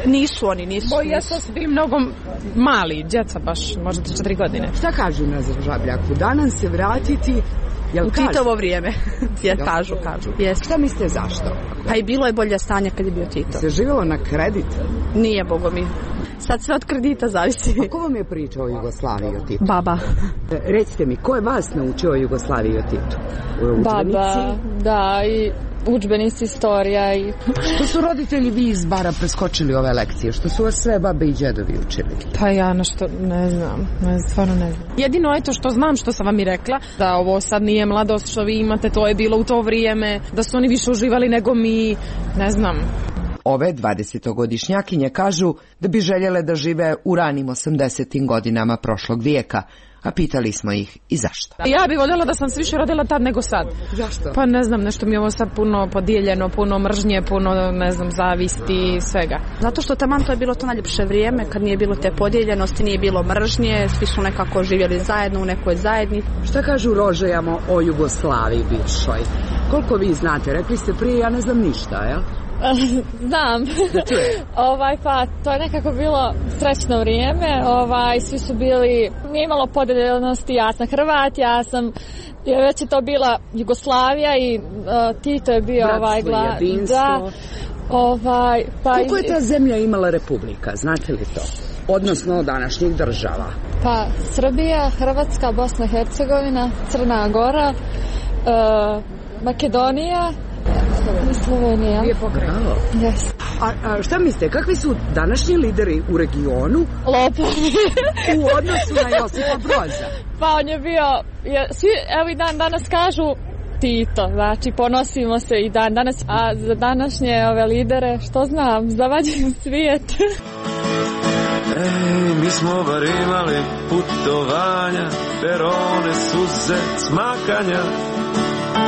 Nisu oni, nisu. Boja su bili mnogo mali, djeca baš, možda četiri godine. Šta kažu na Žabljaku? Danas se vratiti Jel u Titovo vrijeme. Je, kažu, kažu. Jest. Šta mislite zašto? Pa i bilo je bolje stanje kad je bio Tito. Se živjelo na kredit? Nije, bogo mi. Sad sve od kredita zavisi. A ko vam je pričao o Jugoslaviji o Titu? Baba. Recite mi, ko je vas naučio o Jugoslaviji o Titu? Baba, da, i udžbenici, istorija i... Što su roditelji vi iz Bara preskočili ove lekcije? Što su vas sve babe i djedovi učili? Pa ja nešto ne znam, ne, stvarno ne znam. Jedino je to što znam, što sam vam i rekla, da ovo sad nije mladost što vi imate, to je bilo u to vrijeme, da su oni više uživali nego mi, ne znam. Ove dvadesetogodišnjakinje kažu da bi željele da žive u ranim osamdesetim godinama prošlog vijeka, a pitali smo ih i zašto. Ja bih voljela da sam se više rodila tad nego sad. Zašto? Pa ne znam, nešto mi je ovo sad puno podijeljeno, puno mržnje, puno, ne znam, zavisti, svega. Zato što taman to je bilo to najljepše vrijeme, kad nije bilo te podijeljenosti, nije bilo mržnje, svi su nekako živjeli zajedno u nekoj zajednici. Šta kažu Rožajamo o Jugoslaviji bivšoj? Koliko vi znate? Rekli ste prije, ja ne znam ništa, jel? Znam. ovaj, pa to je nekako bilo srećno vrijeme. Ovaj, svi su bili, nije imalo podeljenosti, ja sam Hrvat, ja sam, je već je to bila Jugoslavija i uh, Tito je bio Bratstvo, ovaj gla, jedinstvo. Da, ovaj, pa koliko je ta zemlja imala republika, znate li to? Odnosno današnjih država. Pa Srbija, Hrvatska, Bosna i Hercegovina, Crna Gora, uh, Makedonija, Slovenija. Je pokrajino. Yes. A, a šta mislite, kakvi su današnji lideri u regionu? Lopovi. U odnosu na Josipa Broza? Pa on je bio, je, svi evo i dan danas kažu Tito, znači ponosimo se i dan danas, a za današnje ove lidere, što znam, zavađen svijet. Ej, mi smo bar imali putovanja, perone, suze, smakanja,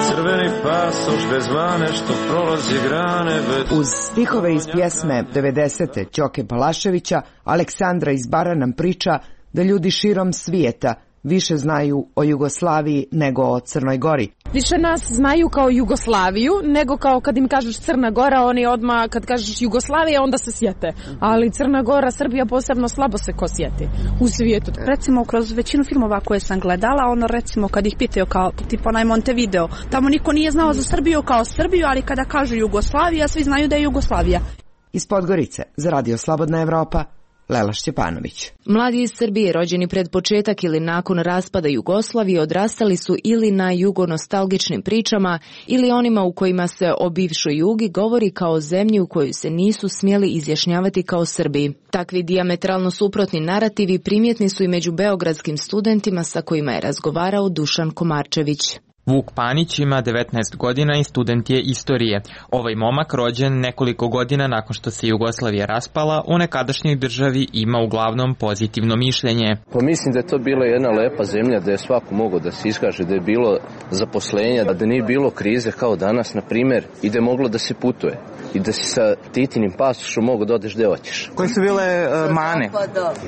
crveni pasoš bez mane što prolazi grane bez... Uz stihove iz pjesme devedesete Ćoke Balaševića, Aleksandra iz Bara nam priča da ljudi širom svijeta više znaju o Jugoslaviji nego o Crnoj Gori. Više nas znaju kao Jugoslaviju, nego kao kad im kažeš Crna Gora, oni odmah kad kažeš Jugoslavija, onda se sjete. Ali Crna Gora, Srbija posebno slabo se ko sjeti u svijetu. Recimo, kroz većinu filmova koje sam gledala, ono recimo kad ih pitaju kao tipa onaj Montevideo, tamo niko nije znao za Srbiju kao Srbiju, ali kada kažu Jugoslavija, svi znaju da je Jugoslavija. Iz Podgorice, za Radio Slobodna Evropa, Lela Šćepanović. Mladi iz Srbije rođeni pred početak ili nakon raspada Jugoslavije odrastali su ili na jugonostalgičnim pričama ili onima u kojima se o bivšoj Jugi govori kao zemlji u kojoj se nisu smjeli izjašnjavati kao Srbi. Takvi dijametralno suprotni narativi primjetni su i među beogradskim studentima sa kojima je razgovarao Dušan Komarčević. Vuk Panić ima devetnaest godina i student je istorije. Ovaj momak, rođen nekoliko godina nakon što se Jugoslavija raspala, u nekadašnjoj državi ima uglavnom pozitivno mišljenje. Pa mislim da je to bila jedna lepa zemlja da je svako mogao da se iskaže, da je bilo zaposlenja, da nije bilo krize kao danas, na primjer, i da je moglo da se putuje. I da si sa Titinim pasošom mogu da odeš gde hoćeš. Koje su bile uh, mane?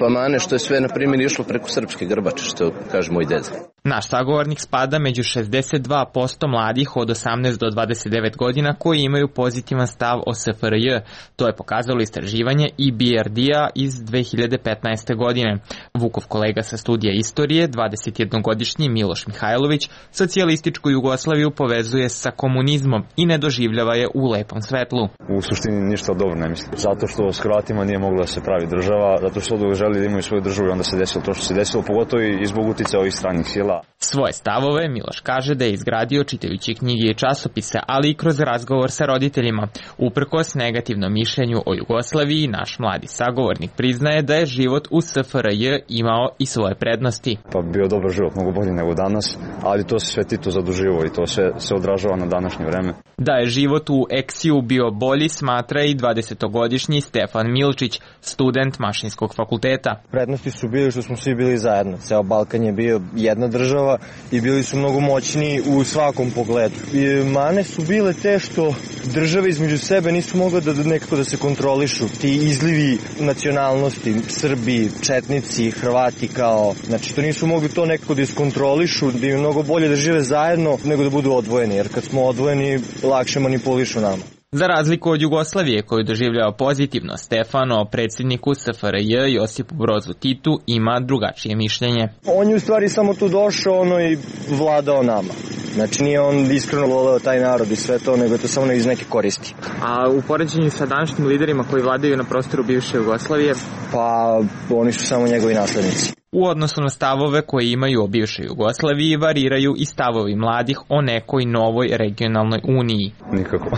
Pa mane što je sve, na primjer, išlo preko srpske grbače, što kaže moj deda. Naš sagovornik spada među šezdeset dva posto mladih od osamnaest do dvadeset devet godina koji imaju pozitivan stav o S F R J. To je pokazalo istraživanje I B R D-a iz dve hiljade petnaeste. godine. Vukov kolega sa studija istorije, dvadesetjednogodišnji Miloš Mihajlović, socijalističku Jugoslaviju povezuje sa komunizmom i ne doživljava je u lepom svetlu. U suštini ništa dobro ne mislim. Zato što s Hrvatima nije mogla da se pravi država, zato što oduvek želi da imaju svoju državu i onda se desilo to što se desilo, pogotovo i zbog uticaja ovih stranih sila. Svoje stavove Miloš kaže da je izgradio čitajući knjige i časopise, ali i kroz razgovor sa roditeljima. Uprkos negativnom mišljenju o Jugoslaviji, naš mladi sagovornik priznaje da je život u S F R J imao i svoje prednosti. Pa bio dobar život, mnogo bolji nego danas, ali to se sve Tito zaduživo i to sve se odražava na današnje vreme. Da je život u Eksiju bio bolji, smatra i dvadesetogodišnji Stefan Milčić, student Mašinskog fakulteta. Prednosti su bili što smo svi bili zajedno. Ceo Balkan je bio jedna država i bili su mnogo moćniji u svakom pogledu. I mane su bile te što države između sebe nisu mogle da nekako da se kontrolišu. Ti izlivi nacionalnosti, Srbi, Četnici, Hrvati kao, znači to nisu mogli to nekako da iskontrolišu, da je mnogo bolje da žive zajedno nego da budu odvojeni, jer kad smo odvojeni lakše manipulišu nama. Za razliku od Jugoslavije koju doživljava pozitivno, Stefan o predsjedniku S F R J Josipu Brozu Titu ima drugačije mišljenje. On je u stvari samo tu došao ono i vladao nama. Znači nije on iskreno voleo taj narod i sve to, nego je to samo iz neke koristi. A u poređenju sa današnjim liderima koji vladaju na prostoru bivše Jugoslavije? Pa oni su samo njegovi naslednici. U odnosu na stavove koje imaju o bivšoj Jugoslaviji variraju i stavovi mladih o nekoj novoj regionalnoj uniji. Nikako.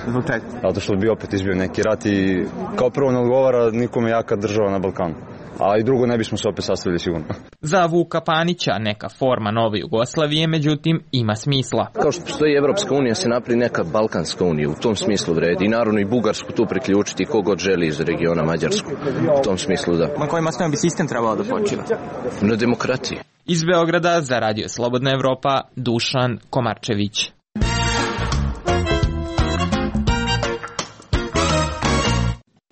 Zato što bi opet izbio neki rat i kao prvo ne odgovara nikome jaka država na Balkanu. A i drugo ne bismo se opet sastavili sigurno. Za Vuka Panića neka forma nove Jugoslavije, međutim, ima smisla. Kao što postoji Evropska unija, se napravi neka Balkanska unija, u tom smislu vredi. I naravno i Bugarsku tu priključiti kogod želi iz regiona Mađarsku. U tom smislu da. Na kojim osnovama bi sistem trebalo da počiva? Na demokratiji. Iz Beograda za Radio Slobodna Evropa, Dušan Komarčević.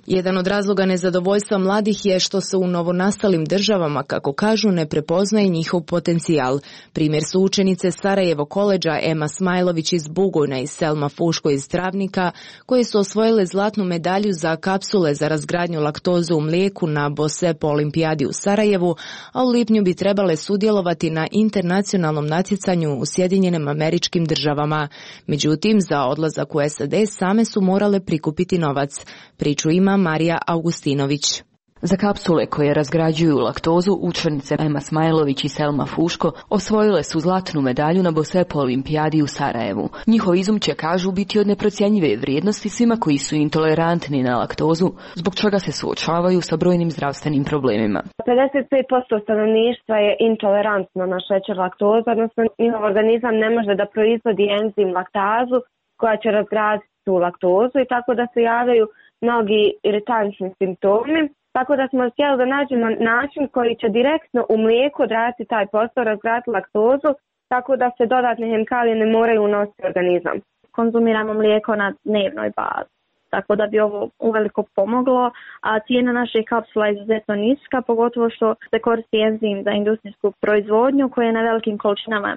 Jedan od razloga nezadovoljstva mladih je što se u novonastalim državama, kako kažu, ne prepoznaje njihov potencijal. Primjer su učenice Sarajevo koledža Ema Smajlović iz Bugojna i Selma Fuško iz Travnika, koje su osvojile zlatnu medalju za kapsule za razgradnju laktoze u mlijeku na Bosepo olimpijadi u Sarajevu, a u lipnju bi trebale sudjelovati na internacionalnom natjecanju u Sjedinjenim Američkim Državama. Međutim, za odlazak u S A D same su morale prikupiti novac. Priču ima Marija Augustinović. Za kapsule koje razgrađuju laktozu, učenice Ema Smajlović i Selma Fuško osvojile su zlatnu medalju na Bosepo olimpijadi u Sarajevu. Njihov izum će, kažu, biti od neprocjenjive vrijednosti svima koji su intolerantni na laktozu, zbog čega se suočavaju sa brojnim zdravstvenim problemima. pedeset pet posto stanovništva je intolerantno na šećer laktoza, odnosno njihov organizam ne može da proizvodi enzim laktazu koja će razgraditi tu laktozu i tako da se javljaju mnogi iritantni simptomi, tako da smo htjeli da nađemo način koji će direktno u mlijeku odraditi taj posao, razgraditi laktozu, tako da se dodatne hemikalije ne moraju unositi u organizam. Konzumiramo mlijeko na dnevnoj bazi. tako da bi ovo uveliko pomoglo, a cijena naših kapsula je izuzetno niska, pogotovo što se koristi enzim za industrijsku proizvodnju koji je na velikim količinama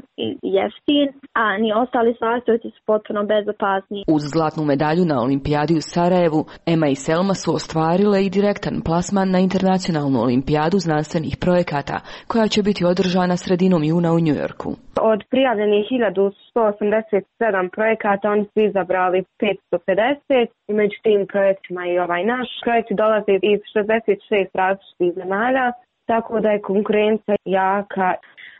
jeftin, a ni ostali sastojci su potpuno bezopasni. Uz zlatnu medalju na olimpijadi u Sarajevu, Ema i Selma su ostvarile i direktan plasman na internacionalnu olimpijadu znanstvenih projekata, koja će biti održana sredinom juna u Njujorku. Od prijavljenih hiljadu sto osamdeset sedam projekata oni su izabrali petsto pedeset i među tim projektima i ovaj naš. Projekti dolaze iz šezdeset šest različitih zemalja, tako da je konkurencija jaka.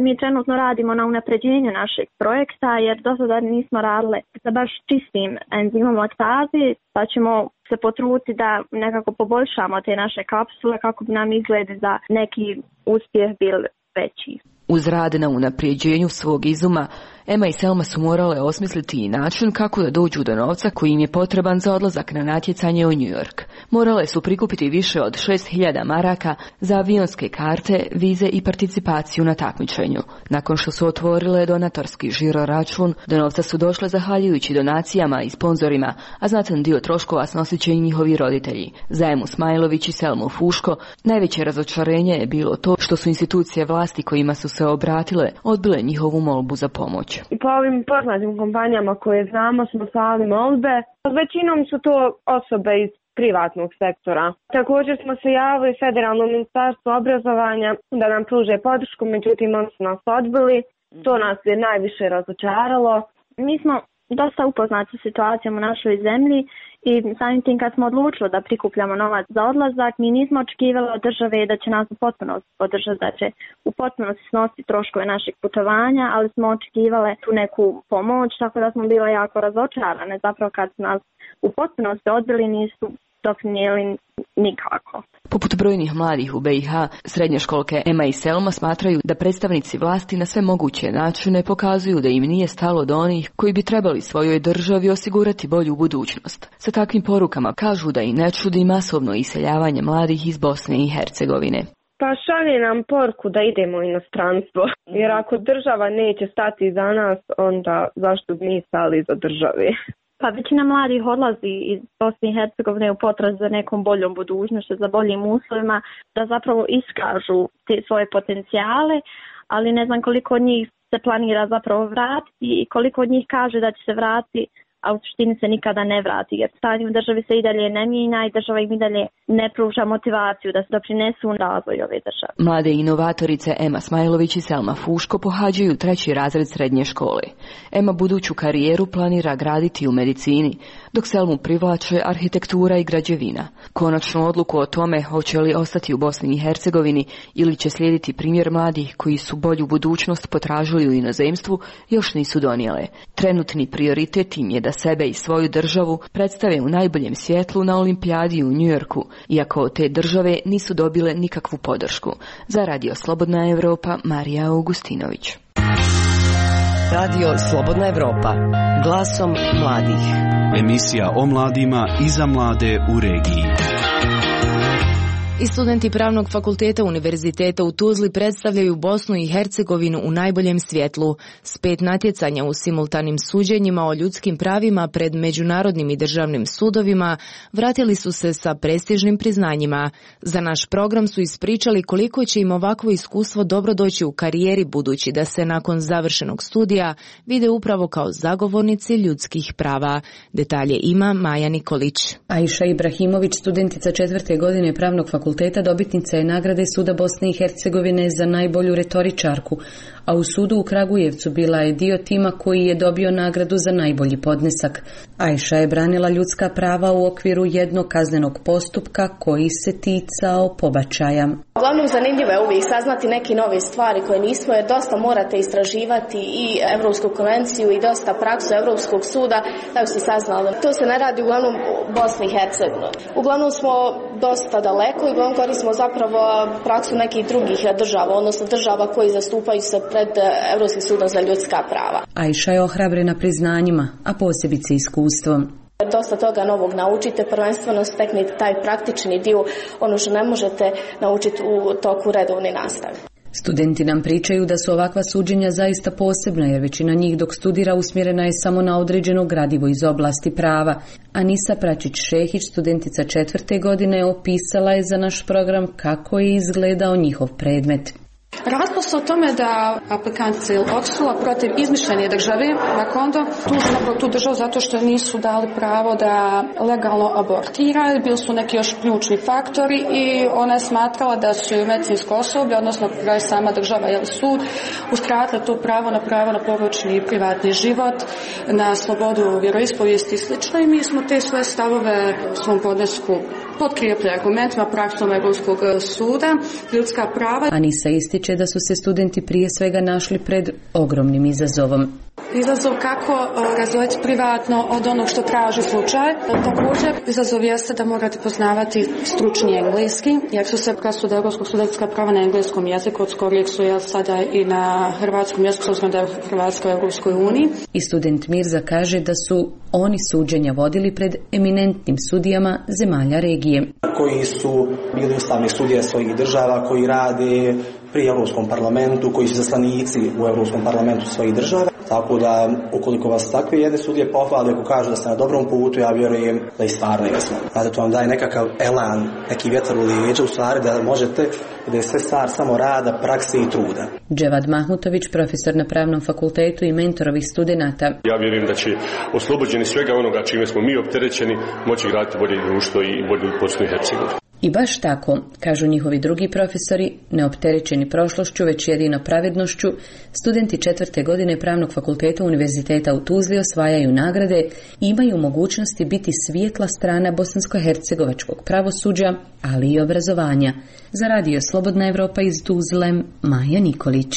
Mi trenutno radimo na unapređenju našeg projekta jer do sada nismo radili sa baš čistim enzimom laktaze, pa ćemo se potruditi da nekako poboljšamo te naše kapsule kako bi nam izgledi za neki uspjeh bil veći. Uz rad na unaprijeđenju svog izuma, Ema i Selma su morale osmisliti i način kako da dođu do novca koji im je potreban za odlazak na natjecanje u New York. Morale su prikupiti više od šest hiljada maraka za avionske karte, vize i participaciju na takmičenju. Nakon što su otvorile donatorski žiro račun, do novca su došle zahvaljujući donacijama i sponzorima, a znatan dio troškova snosit će i njihovi roditelji. Za Emu Smajlović i Selmu Fuško najveće razočarenje je bilo to što su institucije vlasti kojima su se obratile odbile njihovu molbu za pomoć. I po ovim poznatim kompanijama koje znamo smo slali molbe. Većinom su to osobe iz privatnog sektora. Također smo se javili Federalnom ministarstvu obrazovanja da nam pruže podršku, međutim oni su nas odbili. To nas je najviše razočaralo. Mi smo dosta upoznati sa situacijom u našoj zemlji i samim tim kad smo odlučili da prikupljamo novac za odlazak, mi nismo očekivali od države da će nas u potpunosti podržati, da će u potpunosti snositi troškove naših putovanja, ali smo očekivali tu neku pomoć, tako da smo bile jako razočarane. Zapravo kad su nas u potpunosti odbili nisu doprinijeli nikako. Poput brojnih mladih u B i H, srednjoškolke Ema i Selma smatraju da predstavnici vlasti na sve moguće načine pokazuju da im nije stalo do onih koji bi trebali svojoj državi osigurati bolju budućnost. Sa takvim porukama kažu da i ne čudi masovno iseljavanje mladih iz Bosne i Hercegovine. Pa šalje nam poruku da idemo u inostranstvo, jer ako država neće stati za nas, onda zašto bi mi stali za državi? Pa većina mladih odlazi iz Bosne i Hercegovine u potrazi za nekom boljom budućnošću, za boljim uslovima, da zapravo iskažu te svoje potencijale, ali ne znam koliko od njih se planira zapravo vratiti i koliko od njih kaže da će se vratiti, a u suštini se nikada ne vrati, jer stanje u državi se i dalje ne mijenja i država im i dalje ne pruža motivaciju da se doprinesu u razvoj ove države. Mlade inovatorice Ema Smajlović i Selma Fuško pohađaju treći razred srednje škole. Ema buduću karijeru planira graditi u medicini, dok Selmu privlače arhitektura i građevina. Konačnu odluku o tome hoće li ostati u Bosni i Hercegovini ili će slijediti primjer mladih koji su bolju budućnost potražili u inozemstvu još nisu donijele. Trenutni prioritet im je da sebe i svoju državu predstave u najboljem svjetlu na olimpijadi u Njujorku, iako od te države nisu dobile nikakvu podršku. Za Radio Slobodna Evropa, Marija Augustinović. Radio Slobodna Evropa, glasom mladih. Emisija o mladima i za mlade u regiji. I studenti Pravnog fakulteta Univerziteta u Tuzli predstavljaju Bosnu i Hercegovinu u najboljem svjetlu. S pet natjecanja u simultanim suđenjima o ljudskim pravima pred međunarodnim i državnim sudovima vratili su se sa prestižnim priznanjima. Za naš program su ispričali koliko će im ovakvo iskustvo dobro doći u karijeri, budući da se nakon završenog studija vide upravo kao zagovornici ljudskih prava. Detalje ima Maja Nikolić. Aisha Ibrahimović, studentica četvrte godine Pravnog fakulteta, fakulteta dobitnica je nagrade Suda Bosne i Hercegovine za najbolju retoričarku, a u sudu u Kragujevcu bila je dio tima koji je dobio nagradu za najbolji podnesak. Aisha je branila ljudska prava u okviru jednog kaznenog postupka koji se ticao pobačaja. Uglavnom zanimljivo je uvijek saznati neke nove stvari koje nismo, jer dosta morate istraživati i Evropsku konvenciju i dosta praksu Evropskog suda, da bi se saznali. To se ne radi uglavnom u Bosni i Hercegovini. Uglavnom smo dosta daleko i uglavnom koristimo zapravo praksu nekih drugih država, odnosno država koji zastupaju se pred Evropskim sudom za ljudska prava. Aisha je ohrabrena priznanjima, a posebice iskustvom. Dosta toga novog naučite, prvenstveno steknite taj praktični dio, ono što ne možete naučiti u toku redovne nastave. Studenti nam pričaju da su ovakva suđenja zaista posebna, jer većina njih dok studira usmjerena je samo na određeno gradivo iz oblasti prava, Anisa Pračić-Šehić, studentica četvrte godine, opisala je za naš program kako je izgledao njihov predmet. Radilo se o tome da aplikanti odsula protiv izmišljene države, Makondo, tuži napravo tu državu zato što nisu dali pravo da legalno abortiraju, bili su neki još ključni faktori i ona je smatrala da su medicinsko osoblje, odnosno sama država ili sud, uskratile to pravo na pravo na porodični privatni život, na slobodu vjeroispovijesti i slično, i mi smo te svoje stavove u svom podnesku potkrijepili argumentima praksom Europskog suda, ljudska prava. Anisa ističe da su se studenti prije svega našli pred ogromnim izazovom. Izazov kako razdvojiti privatno od onog što traži slučaj. Također, izazov jeste da morate poznavati stručni engleski, jer su se presude Europskog suda ljudska prava na engleskom jeziku, od skorijeg su jel sada i na hrvatskom jeziku, s obzirom da je Hrvatska u Europskoj uniji. I student Mirza kaže da su oni suđenja vodili pred eminentnim sudijama zemalja regije. Koji su bili ustavni sudije svojih država, koji rade pri Europskom parlamentu, koji su zaslanici u Europskom parlamentu svojih država. Tako da, ukoliko vas takve jedne sudije pohvale, ako kažu da ste na dobrom putu, ja vjerujem da i stvarno jesmo. Znate, to vam daje nekakav elan, neki vjetar u lijeđa, u stvari da možete, da je sve stvar samo rada, prakse i truda. Dževad Mahmutović, profesor na Pravnom fakultetu i mentor ovih studenata. Ja vjerujem da će oslobođeni svega onoga čime smo mi opterećeni moći graditi bolje društvo i bolju Bosnu i Hercegovinu. I baš tako, kažu njihovi drugi profesori, neopterećeni prošlošću, već jedino pravednošću, studenti četvrte godine Pravnog fakulteta Univerziteta u Tuzli osvajaju nagrade i imaju mogućnosti biti svijetla strana bosansko-hercegovačkog pravosuđa, ali i obrazovanja. Za radio Slobodna Evropa iz Tuzle, Maja Nikolić.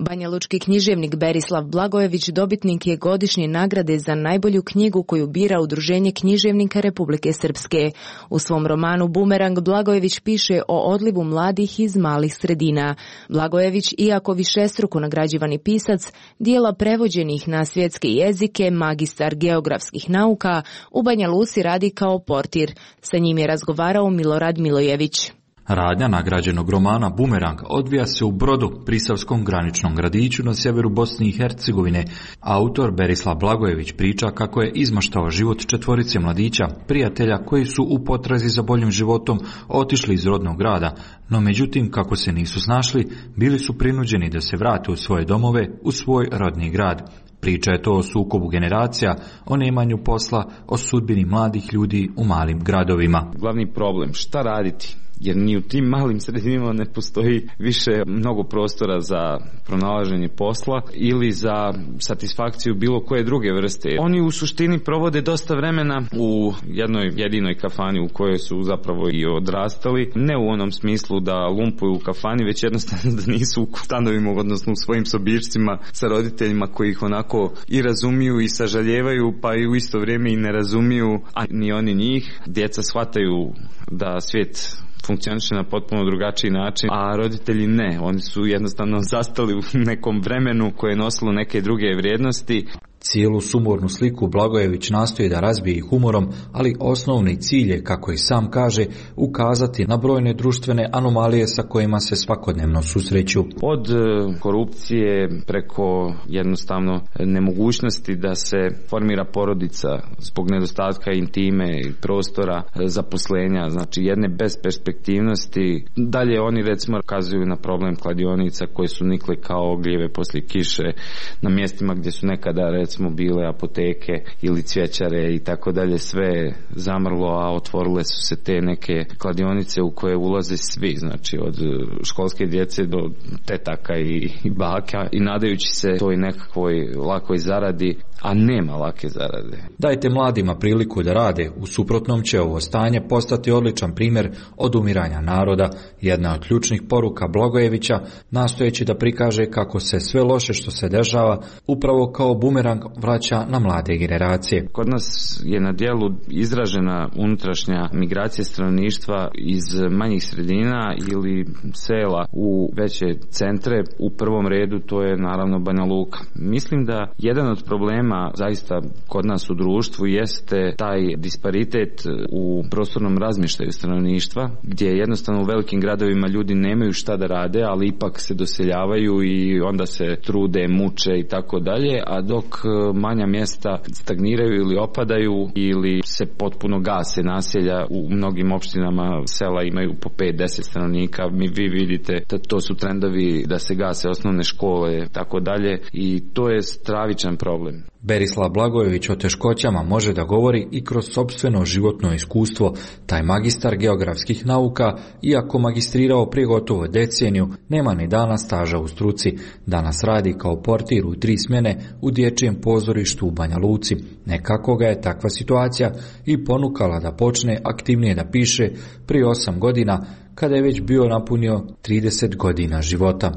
Banjalučki književnik Berislav Blagojević dobitnik je godišnje nagrade za najbolju knjigu koju bira Udruženje književnika Republike Srpske. U svom romanu Bumerang Blagojević piše o odlivu mladih iz malih sredina. Blagojević, iako višestruko nagrađivani pisac, dijela prevođenih na svjetske jezike, magistar geografskih nauka, u Banja Luci radi kao portir. Sa njim je razgovarao Milorad Milojević. Radnja nagrađenog romana Bumerang odvija se u Brodu, prisavskom graničnom gradiću na sjeveru Bosne i Hercegovine. Autor Berislav Blagojević priča kako je izmaštao život četvorice mladića, prijatelja koji su u potrazi za boljim životom otišli iz rodnog grada, no međutim kako se nisu snašli, bili su prinuđeni da se vrate u svoje domove, u svoj rodni grad. Priča je to o sukobu generacija, o nemanju posla, o sudbini mladih ljudi u malim gradovima. Glavni problem, šta raditi? Jer ni u tim malim sredinama ne postoji više mnogo prostora za pronalaženje posla ili za satisfakciju bilo koje druge vrste. Oni u suštini provode dosta vremena u jednoj jedinoj kafani u kojoj su zapravo i odrastali, ne u onom smislu da lumpuju u kafani, već jednostavno da nisu u stanovima, odnosno u svojim sobičcima sa roditeljima koji ih onako i razumiju i sažaljevaju, pa i u isto vrijeme i ne razumiju, a ni oni njih. Djeca shvataju da svijet funkcioniše na potpuno drugačiji način, a roditelji ne. Oni su jednostavno zastali u nekom vremenu koje je nosilo neke druge vrijednosti. Cijelu sumornu sliku Blagojević nastoji da razbije humorom, ali osnovni cilj je, kako i sam kaže, ukazati na brojne društvene anomalije sa kojima se svakodnevno susreću. Od korupcije preko jednostavno nemogućnosti da se formira porodica zbog nedostatka intime i prostora zaposlenja, znači jedne besperspektivnosti. Dalje oni recimo kazuju na problem kladionica koje su nikle kao ogljeve poslije kiše na mjestima gdje su nekada recimo smo bile apoteke ili cvjećare i tako dalje, sve zamrlo, a otvorile su se te neke kladionice u koje ulaze svi, znači od školske djece do tetaka i, i baka, i nadajući se toj nekakvoj lakoj zaradi, a nema lake zarade. Dajte mladima priliku da rade, u suprotnom će ovo stanje postati odličan primjer odumiranja naroda. Jedna od ključnih poruka Blagojevića, nastojeći da prikaže kako se sve loše što se dešava upravo kao bumerang vraća na mlade generacije. Kod nas je na djelu izražena unutrašnja migracija stanovništva iz manjih sredina ili sela u veće centre. U prvom redu to je naravno Banja Luka. Mislim da jedan od problema zaista kod nas u društvu jeste taj disparitet u prostornom razmještaju stanovništva, gdje jednostavno u velikim gradovima ljudi nemaju šta da rade, ali ipak se doseljavaju i onda se trude, muče i tako dalje, a dok manja mjesta stagniraju ili opadaju ili se potpuno gase naselja. U mnogim opštinama sela imaju po pet do deset stanovnika. Mi vi vidite da to su trendovi da se gase osnovne škole, tako dalje, i to je stravičan problem. Berislav Blagojević o teškoćama može da govori i kroz sopstveno životno iskustvo. Taj magistar geografskih nauka, iako magistrirao prije gotovo deceniju, nema ni dana staža u struci. Danas radi kao portir u tri smjene u dječjem pozorištu u Banja Luci. Nekako ga je takva situacija i ponukala da počne aktivnije da piše prije osam godina, kada je već bio napunio trideset godina života.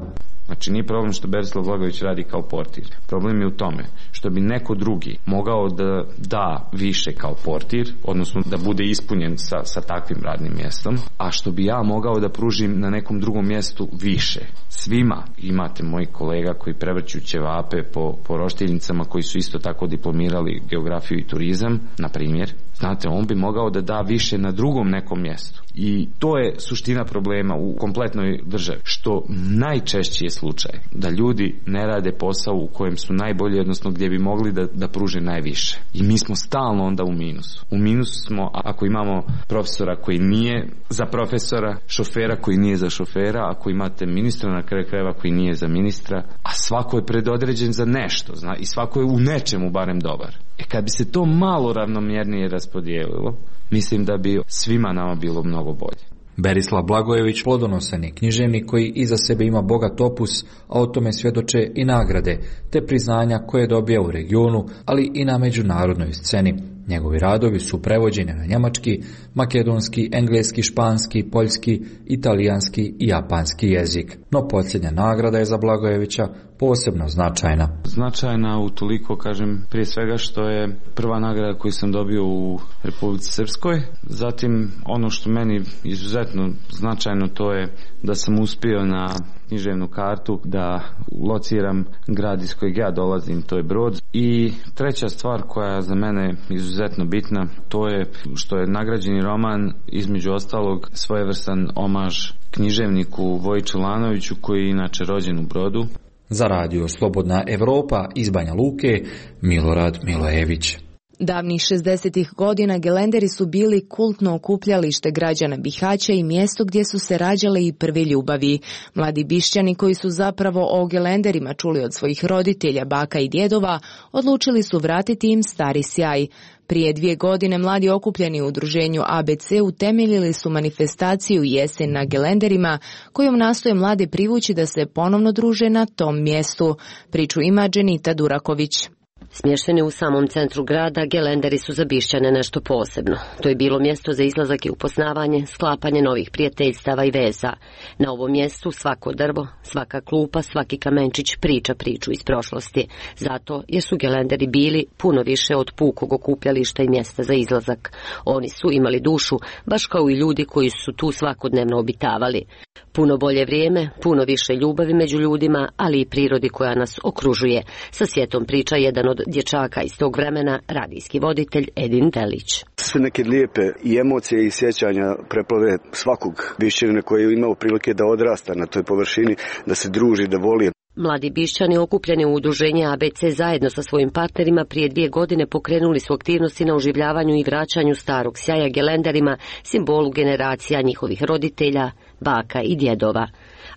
Znači nije problem što Berislav Blagojević radi kao portir. Problem je u tome što bi neko drugi mogao da da više kao portir, odnosno da bude ispunjen sa, sa takvim radnim mjestom, a što bi ja mogao da pružim na nekom drugom mjestu više. Svima imate mojih kolega koji prevrću ćevape po, po roštiljnicama, koji su isto tako diplomirali geografiju i turizam, na primjer. Znate, on bi mogao da da više na drugom nekom mjestu. I to je suština problema u kompletnoj državi, što najčešći je slučaj da ljudi ne rade posao u kojem su najbolji, odnosno gdje bi mogli da, da pruže najviše. I mi smo stalno onda u minusu. U minusu smo ako imamo profesora koji nije za profesora, šofera koji nije za šofera, ako imate ministra na kraju krajeva koji nije za ministra, a svako je predodređen za nešto, zna, i svako je u nečemu barem dobar. E kad bi se to malo ravnomjernije raspodijelilo, mislim da bi svima nama bilo mnogo bolje. Berislav Blagojević plodonosan je književnik koji iza sebe ima bogat opus, a o tome svjedoče i nagrade, te priznanja koje dobija u regionu, ali i na međunarodnoj sceni. Njegovi radovi su prevođeni na njemački, makedonski, engleski, španski, poljski, italijanski i japanski jezik. No posljednja nagrada je za Blagojevića posebno značajna. Značajna utoliko, kažem, prije svega što je prva nagrada koju sam dobio u Republici Srpskoj. Zatim ono što meni izuzetno značajno, to je da sam uspio na književnu kartu da lociram grad iz kojeg ja dolazim, to je Brod. I treća stvar koja je za mene izuzetno bitna, to je što je nagrađeni roman između ostalog svojevrstan omaž književniku Voji Čelanoviću, koji je inače rođen u Brodu. Za radio Slobodna Evropa iz Banja Luke, Milorad Milojević. Davnih šezdesetih godina gelenderi su bili kultno okupljalište građana Bihaća i mjesto gdje su se rađale i prve ljubavi. Mladi Bišćani koji su zapravo o gelenderima čuli od svojih roditelja, baka i djedova, odlučili su vratiti im stari sjaj. Prije dvije godine mladi okupljeni u udruženju A B C utemeljili su manifestaciju Jesen na gelenderima, kojom nastoje mlade privući da se ponovno druže na tom mjestu. Priču ima Dženita Duraković. Smješteni u samom centru grada, gelenderi su za Bišćane nešto posebno. To je bilo mjesto za izlazak i upoznavanje, sklapanje novih prijateljstava i veza. Na ovom mjestu svako drvo, svaka klupa, svaki kamenčić priča priču iz prošlosti. Zato jer su gelenderi bili puno više od pukog okupljališta i mjesta za izlazak. Oni su imali dušu, baš kao i ljudi koji su tu svakodnevno obitavali. Puno bolje vrijeme, puno više ljubavi među ljudima, ali i prirodi koja nas okružuje. Sa sjetom priča jedan od dječaka iz tog vremena, radijski voditelj Edin Delić. Sve neke lijepe i emocije i sjećanja preplave svakog Bišćanina koji je imao prilike da odrasta na toj površini, da se druži, da voli. Mladi Bišćani okupljeni u udruženje A B C zajedno sa svojim partnerima prije dvije godine pokrenuli su aktivnosti na oživljavanju i vraćanju starog sjaja gelenderima, simbolu generacija njihovih roditelja, baka i djedova.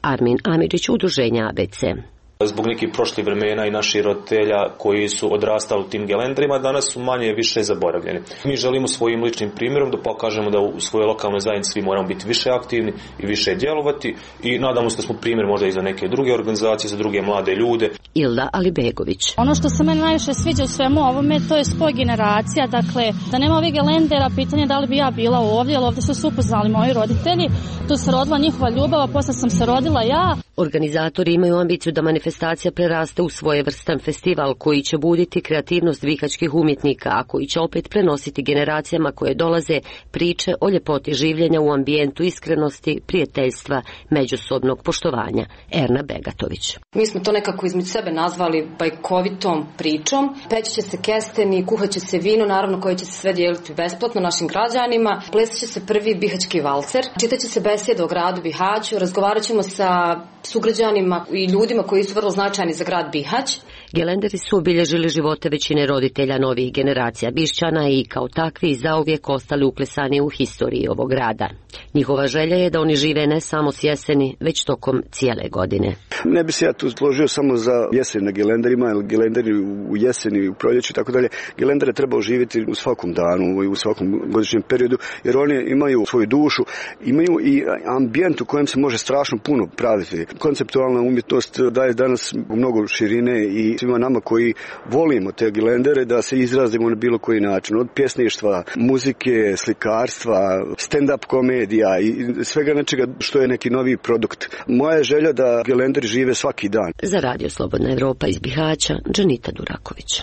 Armin Amidžić, udruženje A B C. Zbog nekih prošlih vremena i naših roditelja koji su odrastali u tim gelenderima, danas su manje više zaboravljeni. Mi želimo svojim ličnim primjerom da pokažemo da u svojoj lokalnoj zajednici svi moramo biti više aktivni i više djelovati i nadamo se da smo primjer možda i za neke druge organizacije, za druge mlade ljude. Ilda Alibegović. Ono što se meni najviše sviđa u svemu ovome, to je spoj generacija, dakle, da nema ovih gelendera, pitanje da li bi ja bila ovdje, jer ovdje su se upoznali moji roditelji, tu se rodila njihova ljubav, a posle sam se rodila ja. Organizatori imaju ambiciju da manifestacija preraste u svojevrstan festival koji će buditi kreativnost bihaćkih umjetnika, a koji će opet prenositi generacijama koje dolaze priče o ljepoti življenja u ambijentu iskrenosti, prijateljstva, međusobnog poštovanja. Erna Begatović. Mi smo to nekako između sebe nazvali bajkovitom pričom. Peći će se kesteni, kuhat će se vino, naravno koje će se sve dijeliti besplatno našim građanima. Plesat će se prvi bihaćki valcer, čitat će se besjeda o gradu Bihaću, razgovarat ćemo sa sugrađanima i ljudima koji su vrlo značajni za grad Bihać. Gelenderi su obilježili živote većine roditelja novih generacija Bišćana i kao takvi zauvijek ostali uklesani u historiji ovog grada. Njihova želja je da oni žive ne samo s jeseni, već tokom cijele godine. Ne bi se ja tu složio samo za jesen na Gelenderima, jer Gelenderi u jeseni, u proljeću i tako dalje. Gelendere treba oživjeti u svakom danu i u svakom godišnjem periodu, jer oni imaju svoju dušu, imaju i ambijent u kojem se može strašno puno praviti. Konceptualna umjetnost daje danas mnogo širine i svima nama koji volimo te Gelendere da se izrazimo na bilo koji način. Od pjesništva, muzike, slikarstva, stand-up komedija i svega nečega što je neki novi produkt. Moja je želja da Gelenderi žive svaki dan. Za Radio Slobodna Evropa iz Bihaća, Džanita Duraković.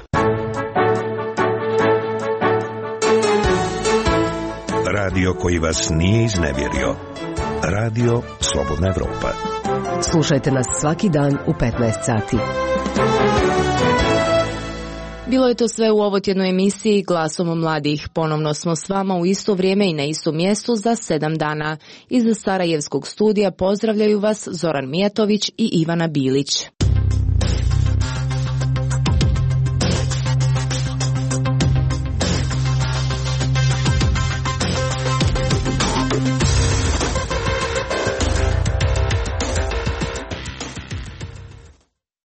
Radio koji vas nije iznevjerio. Radio Slobodna Evropa. Slušajte nas svaki dan u petnaest sati. Bilo je to sve u ovotjednoj emisiji Glasom mladih. Ponovno smo s vama u isto vrijeme i na istom mjestu za sedam dana. Iz Sarajevskog studija pozdravljaju vas Zoran Mijatović i Ivana Bilić.